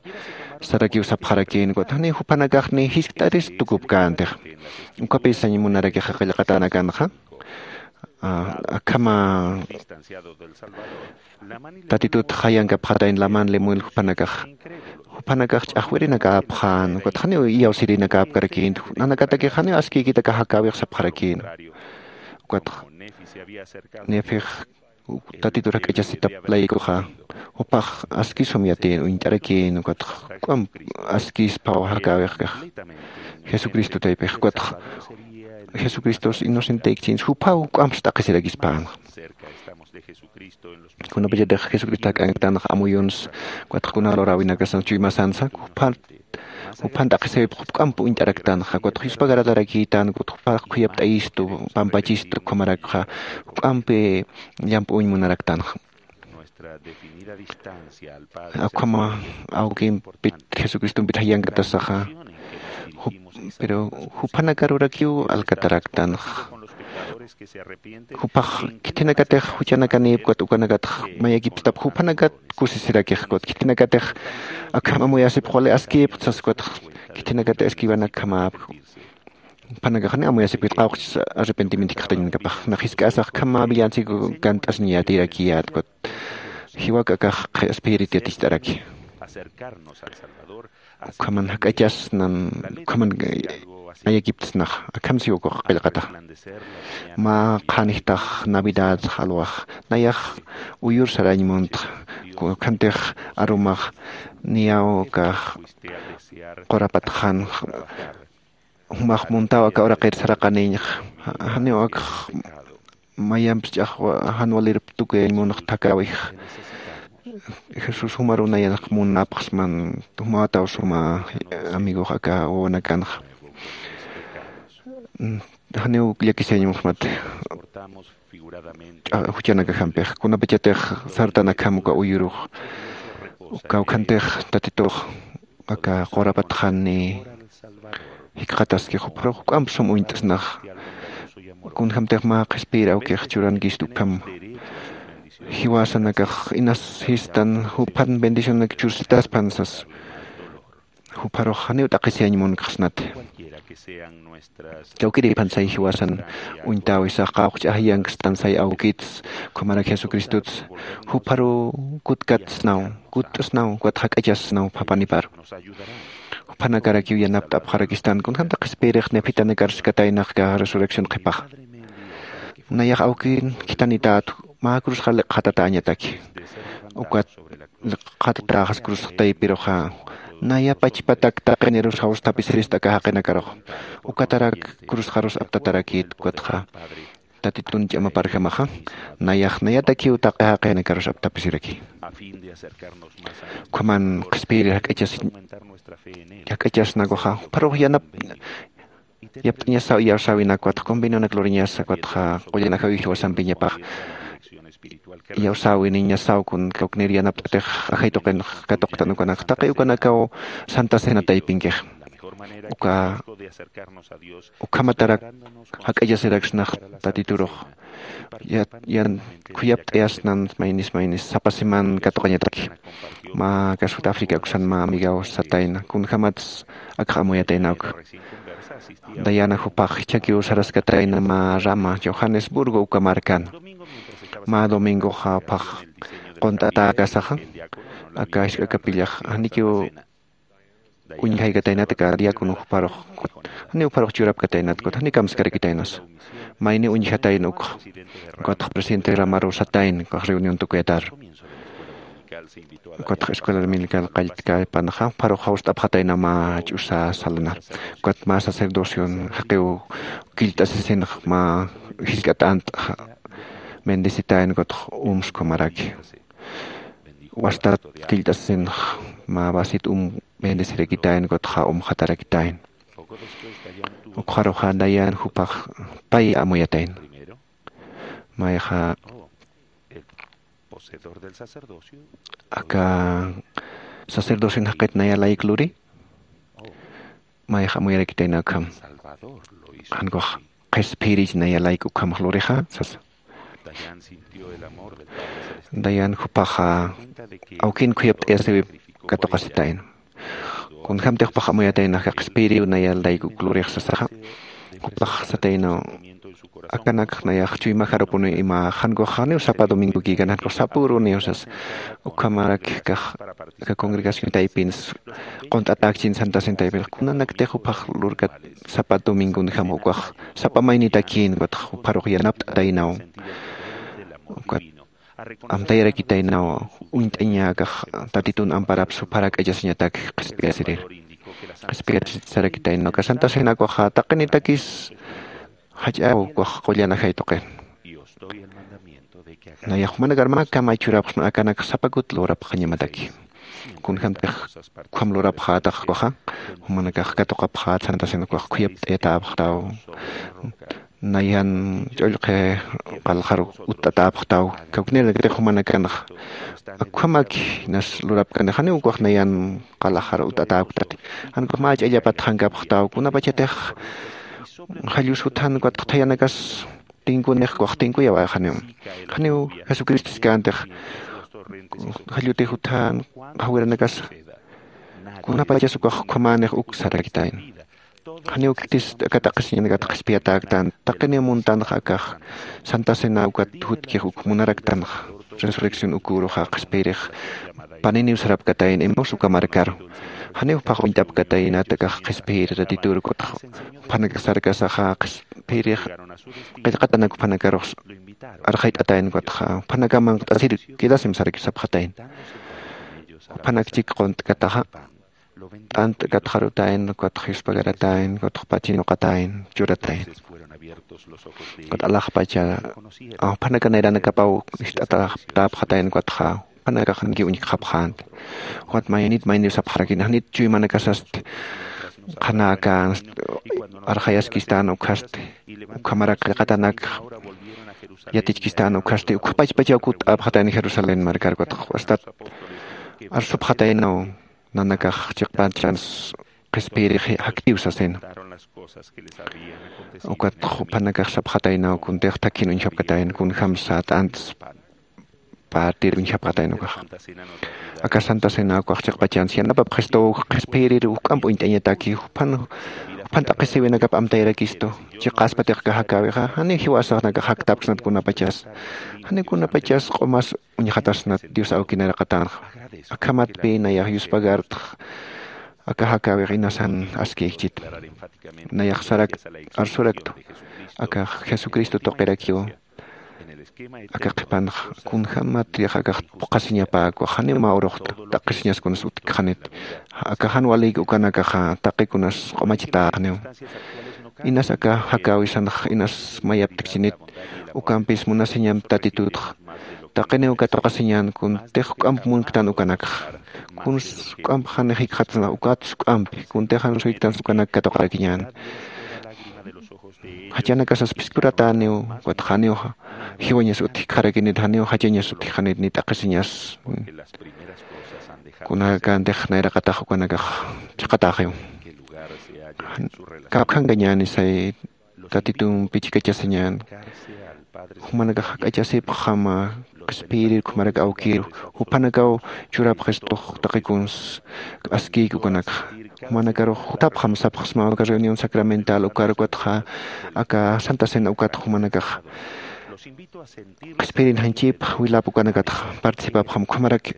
sarakiw sapxarakïn, ukat janiw jupanakax ni jiskt'aris tukupkäntix. Ukapï sañ munarakixa qillqatanakanxa. Ah, akhama Tatitut jayankapxatayn Laman Lemuel jupanakax. Jupanakax ch'axwirinakäpxän, ukat janiw iyawsirinakäpkarakïnti, nanakatakix janiw askïkitaka jakäwix sapxarakïn. Ukat Nefix Tatitur jak'achasitap laykuxa, jupax askisum yatin uñt'arakin ukatx juk'amp askispaw jakäwix kax jesucristo taypix ukatx jesucristos inocenteykchinsa jupaw juk'amps t'aqhisirakispanxa. Kunapachatix jesucristo jak'anktanxa amuyunsa ukatx kuna luräwinakasansa chuymasansa juphan juphan t'aqhisayupx juk'amp uñt'araktanxa ukatx yuspagaratarakïtan ukatx jupax khuyapt'ayistu pampachistu ukhamarakxa juk'ampi llamp'uñ munaraktanxa. Ukhama awkimpit jesucristompit jayankatasaxa pero juphanakaruwarakiw alkataraktanxa. Jupax khithinakatix juchanakanïpkut ukanakatx mayakipstap jupanakat kusisirakix ukatx khithinakatix akham amuyasipx wali askïpxta sas ukatx khithinakatix esquivan akham apkhu. Juphanakax janiw amuyasipkit qawqchis arrepentimiento jikxatañanakapax nax jisk'asax akham mä villancico kant'asiñ yatirakiyät ukatx jiwak akax qhispirit yaticht'araki. Ukhaman jak'achasnan ukhaman ayakiptsnax akham siw ukax qillqataxa. Mä qhanjtax navidad alwax nayax uyur sarañ muntxa. Ukhantix arumax niyaw ukax qurapatxanxa jumax muntaw aka uraqir saraqanïñxa. Janiw akx mayampis ch'axwa jan walirp tukuyañ munx thakawix. Jesús jumaruw nayanx munapxsman jumawataw suma amigox aka wawanakanxa. Janiw llakisiyañmuxmat juchanakajampix kunapachatix sartan akham uka uyurux uka ukhantix tatitux aka qurapatxani jikxataskix jupharux juk'amp sum uñt'snax. Kunjämtix mä qhispiyir awkix churankistu ukham jiwasanakax inas sistan juphan bendicionanak chursitaspan sas jupharux janiw t'aqhisiyañ munkxsnati. Kawkirïphan say jiwasan uñtäwisax qawqch'ajayankkstan say awkits ukhamarak jesucristots jupharuw kutkatsnaw kutt'snaw ukatx jak'achasnaw juphapanipar. Juphanakarakiw yanapt'apxarakistan kunjämtix qhispiyirix nephitanakar skataynax aka resurrección qhipaxa. Nayax awkin khithanität mä cruzxa liqxatatäñataki. Ukat liqxatatäxas cruzx taypiruxa naya pachpatak taqinirus jawsthapisirista aka jaqinakarux. Ukatarak cruzxarus aptatarakït ukatxa tatitun ch'amaparjamaxa nayax nayatakiw taqi jaqinakarus apthapisiraki. Ukhaman qhispiyir jak'achas jak'achasnakuxa jupharux yanap yapt'añasaw iyawsäwinak ukatx convenionak luriñasa ukatxa qullan ajawiw jiwasampiñapax iyawsäwiniñasaw kun kawknir yanapt'atix ajay tuqinx katuqtan ukanak taqi ukanakaw santa cena taypinkix. Uka ukhamatarak jak'achasiraksnax tatiturux yan khuyapt'ayasnan maynis maynis sapa siman katuqañataki. Mä aka sud africa uksan mä amigaw satayna kunjämats akx amuyatayna uka. Dayana jupax jichhakiw saraskatayna mä rama johannesburgo uka markan. Mä domingoxa jupax qunt'atäkasaxa aka jisk'a kapillax janikiw uñjaykataynat aka diácono jupharux janiw jupharux churapkataynat ukat janiw kamskarakitaynas. Mayniw uñjatayna ukxa ukatx presidente ramaruw satayna ukax reunión tukuyatar. Ukatx escuela dominical qalltkäpanxa jupharux jawst'apxatayna mä ch'usa salanar ukat mä sacerdocion jaqiw killt'asisinx mä jisk'a t'ant'xa bendecitayna ukatx umskumaraki. Wastat killt'asisinx mä vasit um bendecirakitayna ukatxa umxatarakitayna. Ukxaruxa dayan jupax pay amuyatayna. Mayxa aka sacerdocion jaqit naya layk luri mayxa amuyarakitayna ukham. Jankux qhispiyirich naya layk ukhamax lurixa sasa. Dayan jupaxa awkin khuyapt'ayasiwip katuqasitayna. Kunjämtix jupax amuyatayna aka qhispiyiriw naya layk uk lurix sasaxa jupax sataynaw akanakx nayax chuymajarupuniw imax jankux janiw sapa domingokïkan jankux sapüruniw sas. Ukhamarak kax aka congregación taypins qunt'atäkchin santa cena taypinx kunanaktix jupax lurkat sapa domingonjam ukax sapa maynitakïn ukatx jupharux yanapt'ataynaw. Ukat amtayarakitaynaw uñt'añäkax Tatitun amparapsa juparak k'achasiñatak qhispiyasirïr. Qhispiyasisarakitaynaw aka Santa Cena ukaxa taqinitakis jach'aw ukax qullan ajay tuqin. Nayax jumanakar mä kamay churapxsma akanakax sapa kut lurapxañamataki. Kunjämtix ukham lurapxätax ukaxa, jumanakax katuqapxät Santa Cena ukax khuyapt'ayatäpxtaw. Nayan ch'ullqi qalxar utt'atäpxtaw. Kawknïrinakatix jumanakanxa ukhamaki inas lurapkani, janiw ukax nayan qalxar utt'atäpktati. Jan ukax mä ch'allapat jankapxtaw, kunapachatix jallus juthan ukatx thayanakas tinkunix ukax tinkuyawa janiw. Janiw Jesucristo siskantix jallutix juthan qhawiranakas kunapachas ukax ukhamänix uk sarakitayna. Janiw khitis aka t'aqhisiñanakat qhispiyatäktan, taqiniw muntanxa akax Santa Cena ukat jutkix uk munaraktanxa, resurrección uküruxa qhispiyirix paniniw sarapkatayna, Emaús uka markaru. Janiw phax uñt'apkataynat akax qhispiyir Tatitur ukatxa, juphanakax sarkasaxa qhispiyirix qillqatanak juphanakarux arxayt'atayna ukatxa, juphanakax manq't'asir quedasim saraki sapxatayna. Juphanak chik qunt'kataxa t'ant katxarutayna, ukatx yuspagartayna, ukatx pachinuqatayna, churatayna. Ukat alaxpacha, a, juphanaka nayranakapaw ist'atäpxatayna, ukatxa, juphanakax janki uñjkxapxänti. Ukat maynit mayniw sapxarakini, janit chuymanakasasti, qhanäkänsti, arxayaskistan ukhasti, ukhamarak qillqatanak yatichkistan ukhasti, ukhapachpachaw kutt'apxatayna Jerusalén markar, ukatx astat arsupxataynaw. Nanakax chiqpachans qhispiyirix jaktiw sasina. Ukat juphanakax sapxataynaw kuntix thakhin uñjapkatayna, kunjamsa t'antas partir uñjapkatayna ukax. Aka Santa Cena ukax chiqpachans yanapapxistuw qhispiyirir juk'amp uñt'añataki, juphan, juphan t'aqhisiwinakap amtayarakistu. Chiqaspatix aka jakäwixa, janiw jiwasanakax jaktapksnat kunapachas. Janiw kunapachas q'umas uñjatasnat Dios awki nayraqatanxa. Akhamatpï nayax yuspagartx aka jakäwix inasan askïkchit. Nayax sarak arsuraktu. Aka Jesucristo tuqirakiw. Aka qhipanx kunjämatix akax phuqhasiñapäkwa, janiw mä urux t'aqhisiñas kunas utjkxanit. Aka jan walïk ukanakaxa taqi kunas q'umachitäxniw. Inas aka jakäwisanx inas mayaptkchinit, ukampis munasiñamp Tatitutx. Taqiniw katuqasiñän kuntix juk'amp munktan ukanakxa. Kuns juk'amp janix jikxatasna ukats juk'ampi, kuntix jan suyktans ukanak katuqarakiñän. Jachanakasas phiskuratäniw, ukatx janiw jiwañas utjkxarakinit, janiw jachañas utjkxanit, ni t'aqhisiñas. Kunakantix nayraqatax ukanakax chiqatäxiw. Kawkhankañäni say Tatitumpi chikachasiñän. Jumanakax jak'achasipxama qhispiyirir ukhamarak awkiru. Juphanakaw churapxistux taqi kuns askïki ukanakxa. Jumanakarux jutapxam sapxsma aka reunión sacramental ukar, ukatxa aka Santa Cena ukat jumanakax qhispiyirin janchipx wilap ukanakatxa participapxam ukhamarak.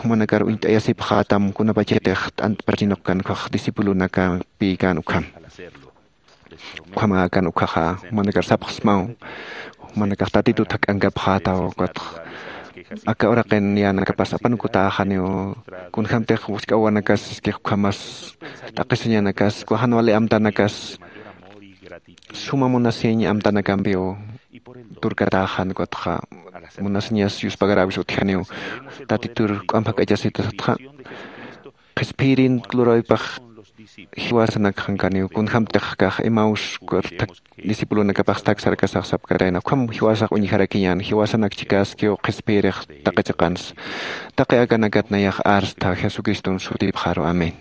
Jumanakar uñt'ayasipxätam kunapachatix t'antpachinukkan ukax discipulonakampi kän ukham. Ukhamäkan ukhaxa, jumanakar sapxsmaw, jumanakax Tatitut jak'ankapxätaw, ukatx aka uraqin yänakapas apanukutäxaniw, kunjämtix wisk'awanakas, iskix ukhamas, t'aqhisiñanakas, uka jan wali amtanakas, suma munasiñ amtanakampiw turkatäxan, ukatxa munasiñas yuspagaräwis utjaniw, Tatitur juk'amp jak'achasitasatxa, qhispiyirin lurawaypax jiwasanakxankaniw, kunjämtix akax Emaús discipulonakapax thak sarkasax sapkatayna, ukham jiwasax uñjarakiñän, jiwasanak chikäskiw qhispiyirix taqi chiqans. Taqi akanakat nayax arstha Jesucriston sutipxaru. Amén.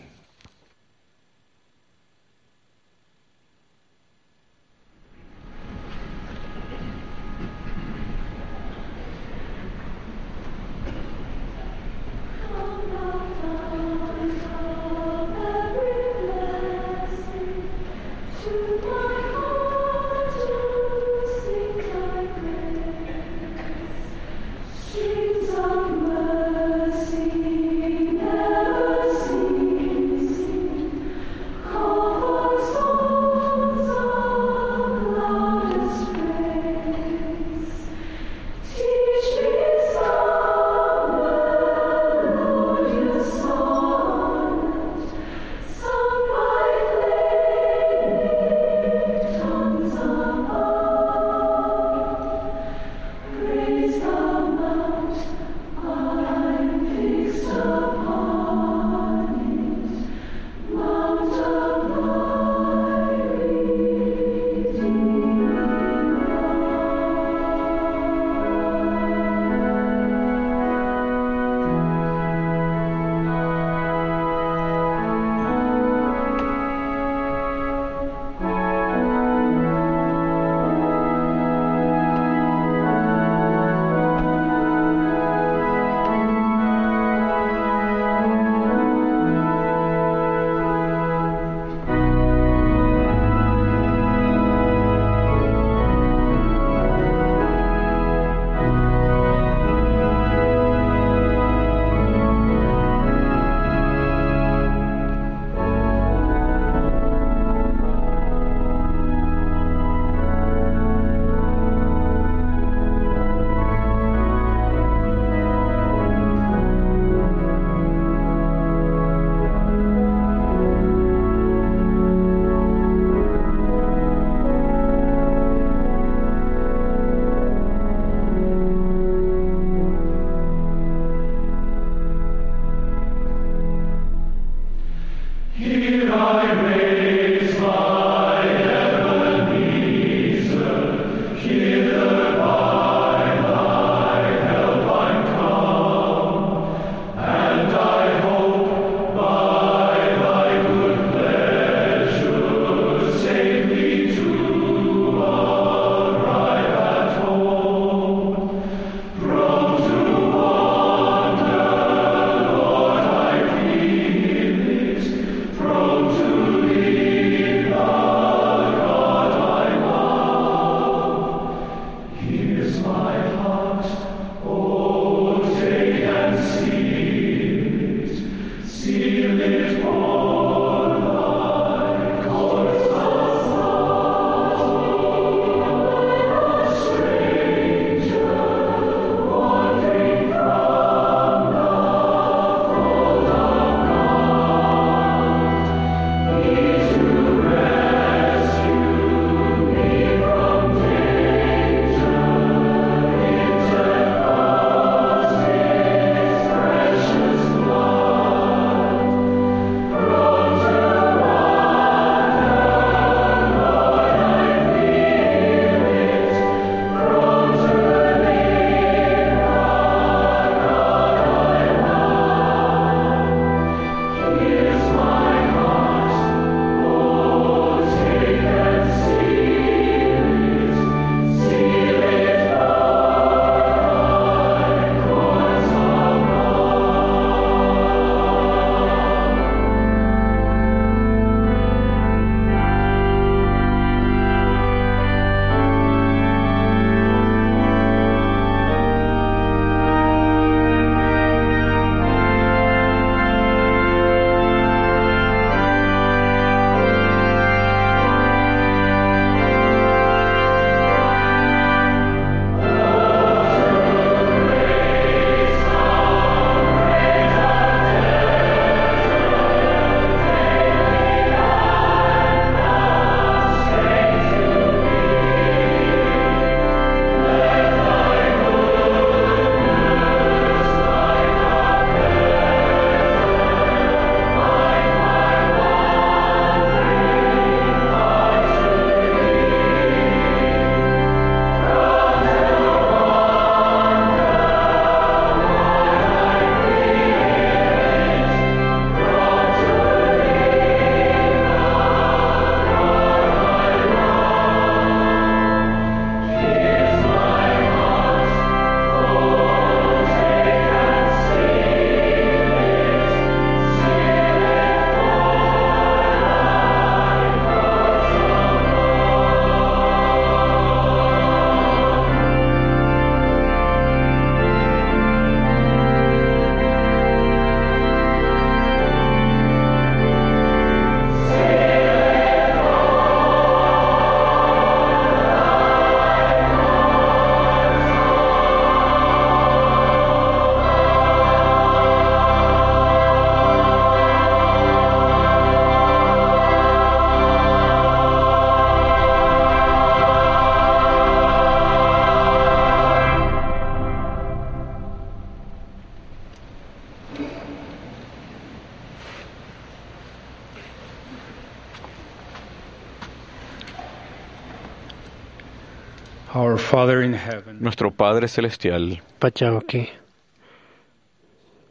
Father in heaven. Nuestro Padre Celestial. Pachawki.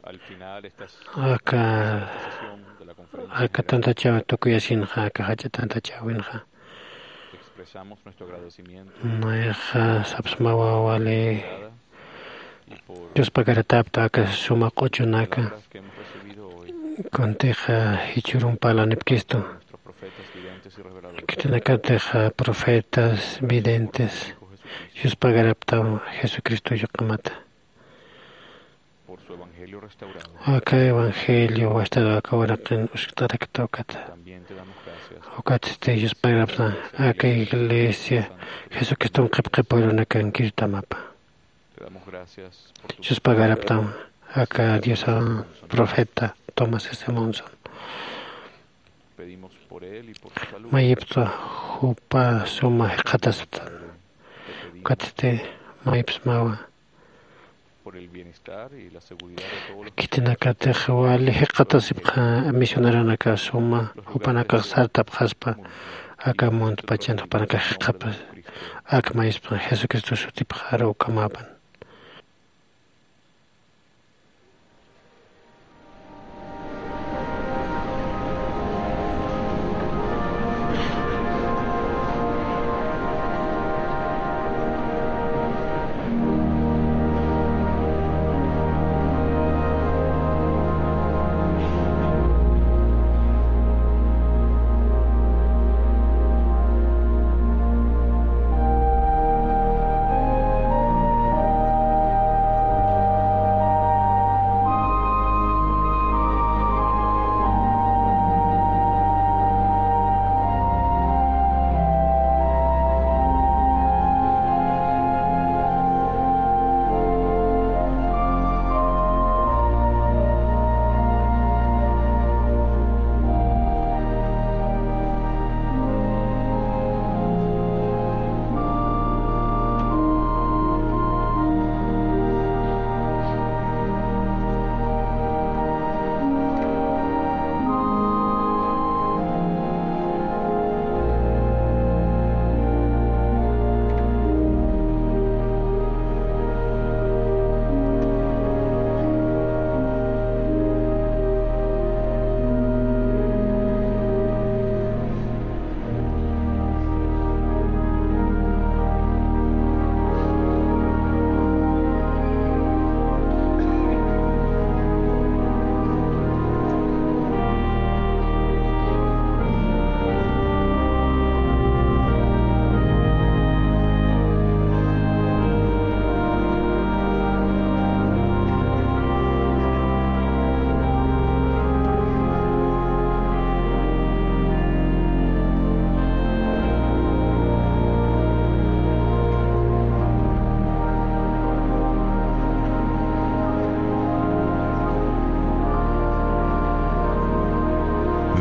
Al final, estas, aka, esta sesión de la conferencia aka general, tantachaw tukuyasinxa, aka jach'a tantachawinxa. Expresamos nuestro agradecimiento. Mayxa sapsmawa wali. Yuspagarapt'apxta aka suma q'uchunaka. Kuntixa jichhürun parlanipkistu. Khitinakatixa profetas, videntes, yuspagarapxtam Jesucristo yuqamata. Aka evangelio wastar aka uraqin uskt'arakta ukata. Ukatsti yuspagarapxtam aka iglesia Jesucriston qhipqhipürunakankirtamapa. Yuspagarapxtam aka Diosa profeta Thomas S. Monson. Mayipsa jupa suma jikxatasipxtan. Ukatsti mayipsmawa. Khitinakatix wali jikxatasipxa misioneronaka suma jupanakax sartapxaspa aka muntpachan jupanakax jikxapas. Ak mayispa Jesucristo sutipxaru ukamapan.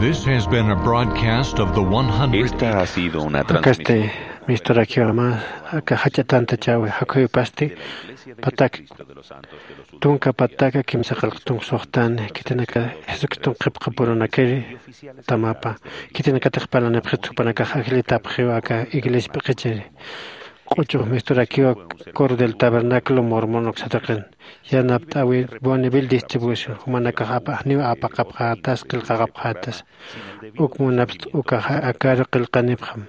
This has been a broadcast of the one hundred. Esta ha sido una transmisión. Akasti misturakiwa mä aka jach'a tantachäwi jakhuyupasti patak tunka pataka kimsa qillq tunka suxtani khitinaka Jesucriston qhipqhipürunakiri tamapa. Khitinakatix parlanipxit jupanakax ajllitapxiw aka iglesia p'iqichiri. Q'uchux misturakiwa Coro del Tabernáculo Mormón uksataqin. Yanapt'äwi Bonneville Distribution jumanakax apa janiw apaqapxätas qillqaqapxätas. Uk munapxta ukaxa akaru qillqanipxam.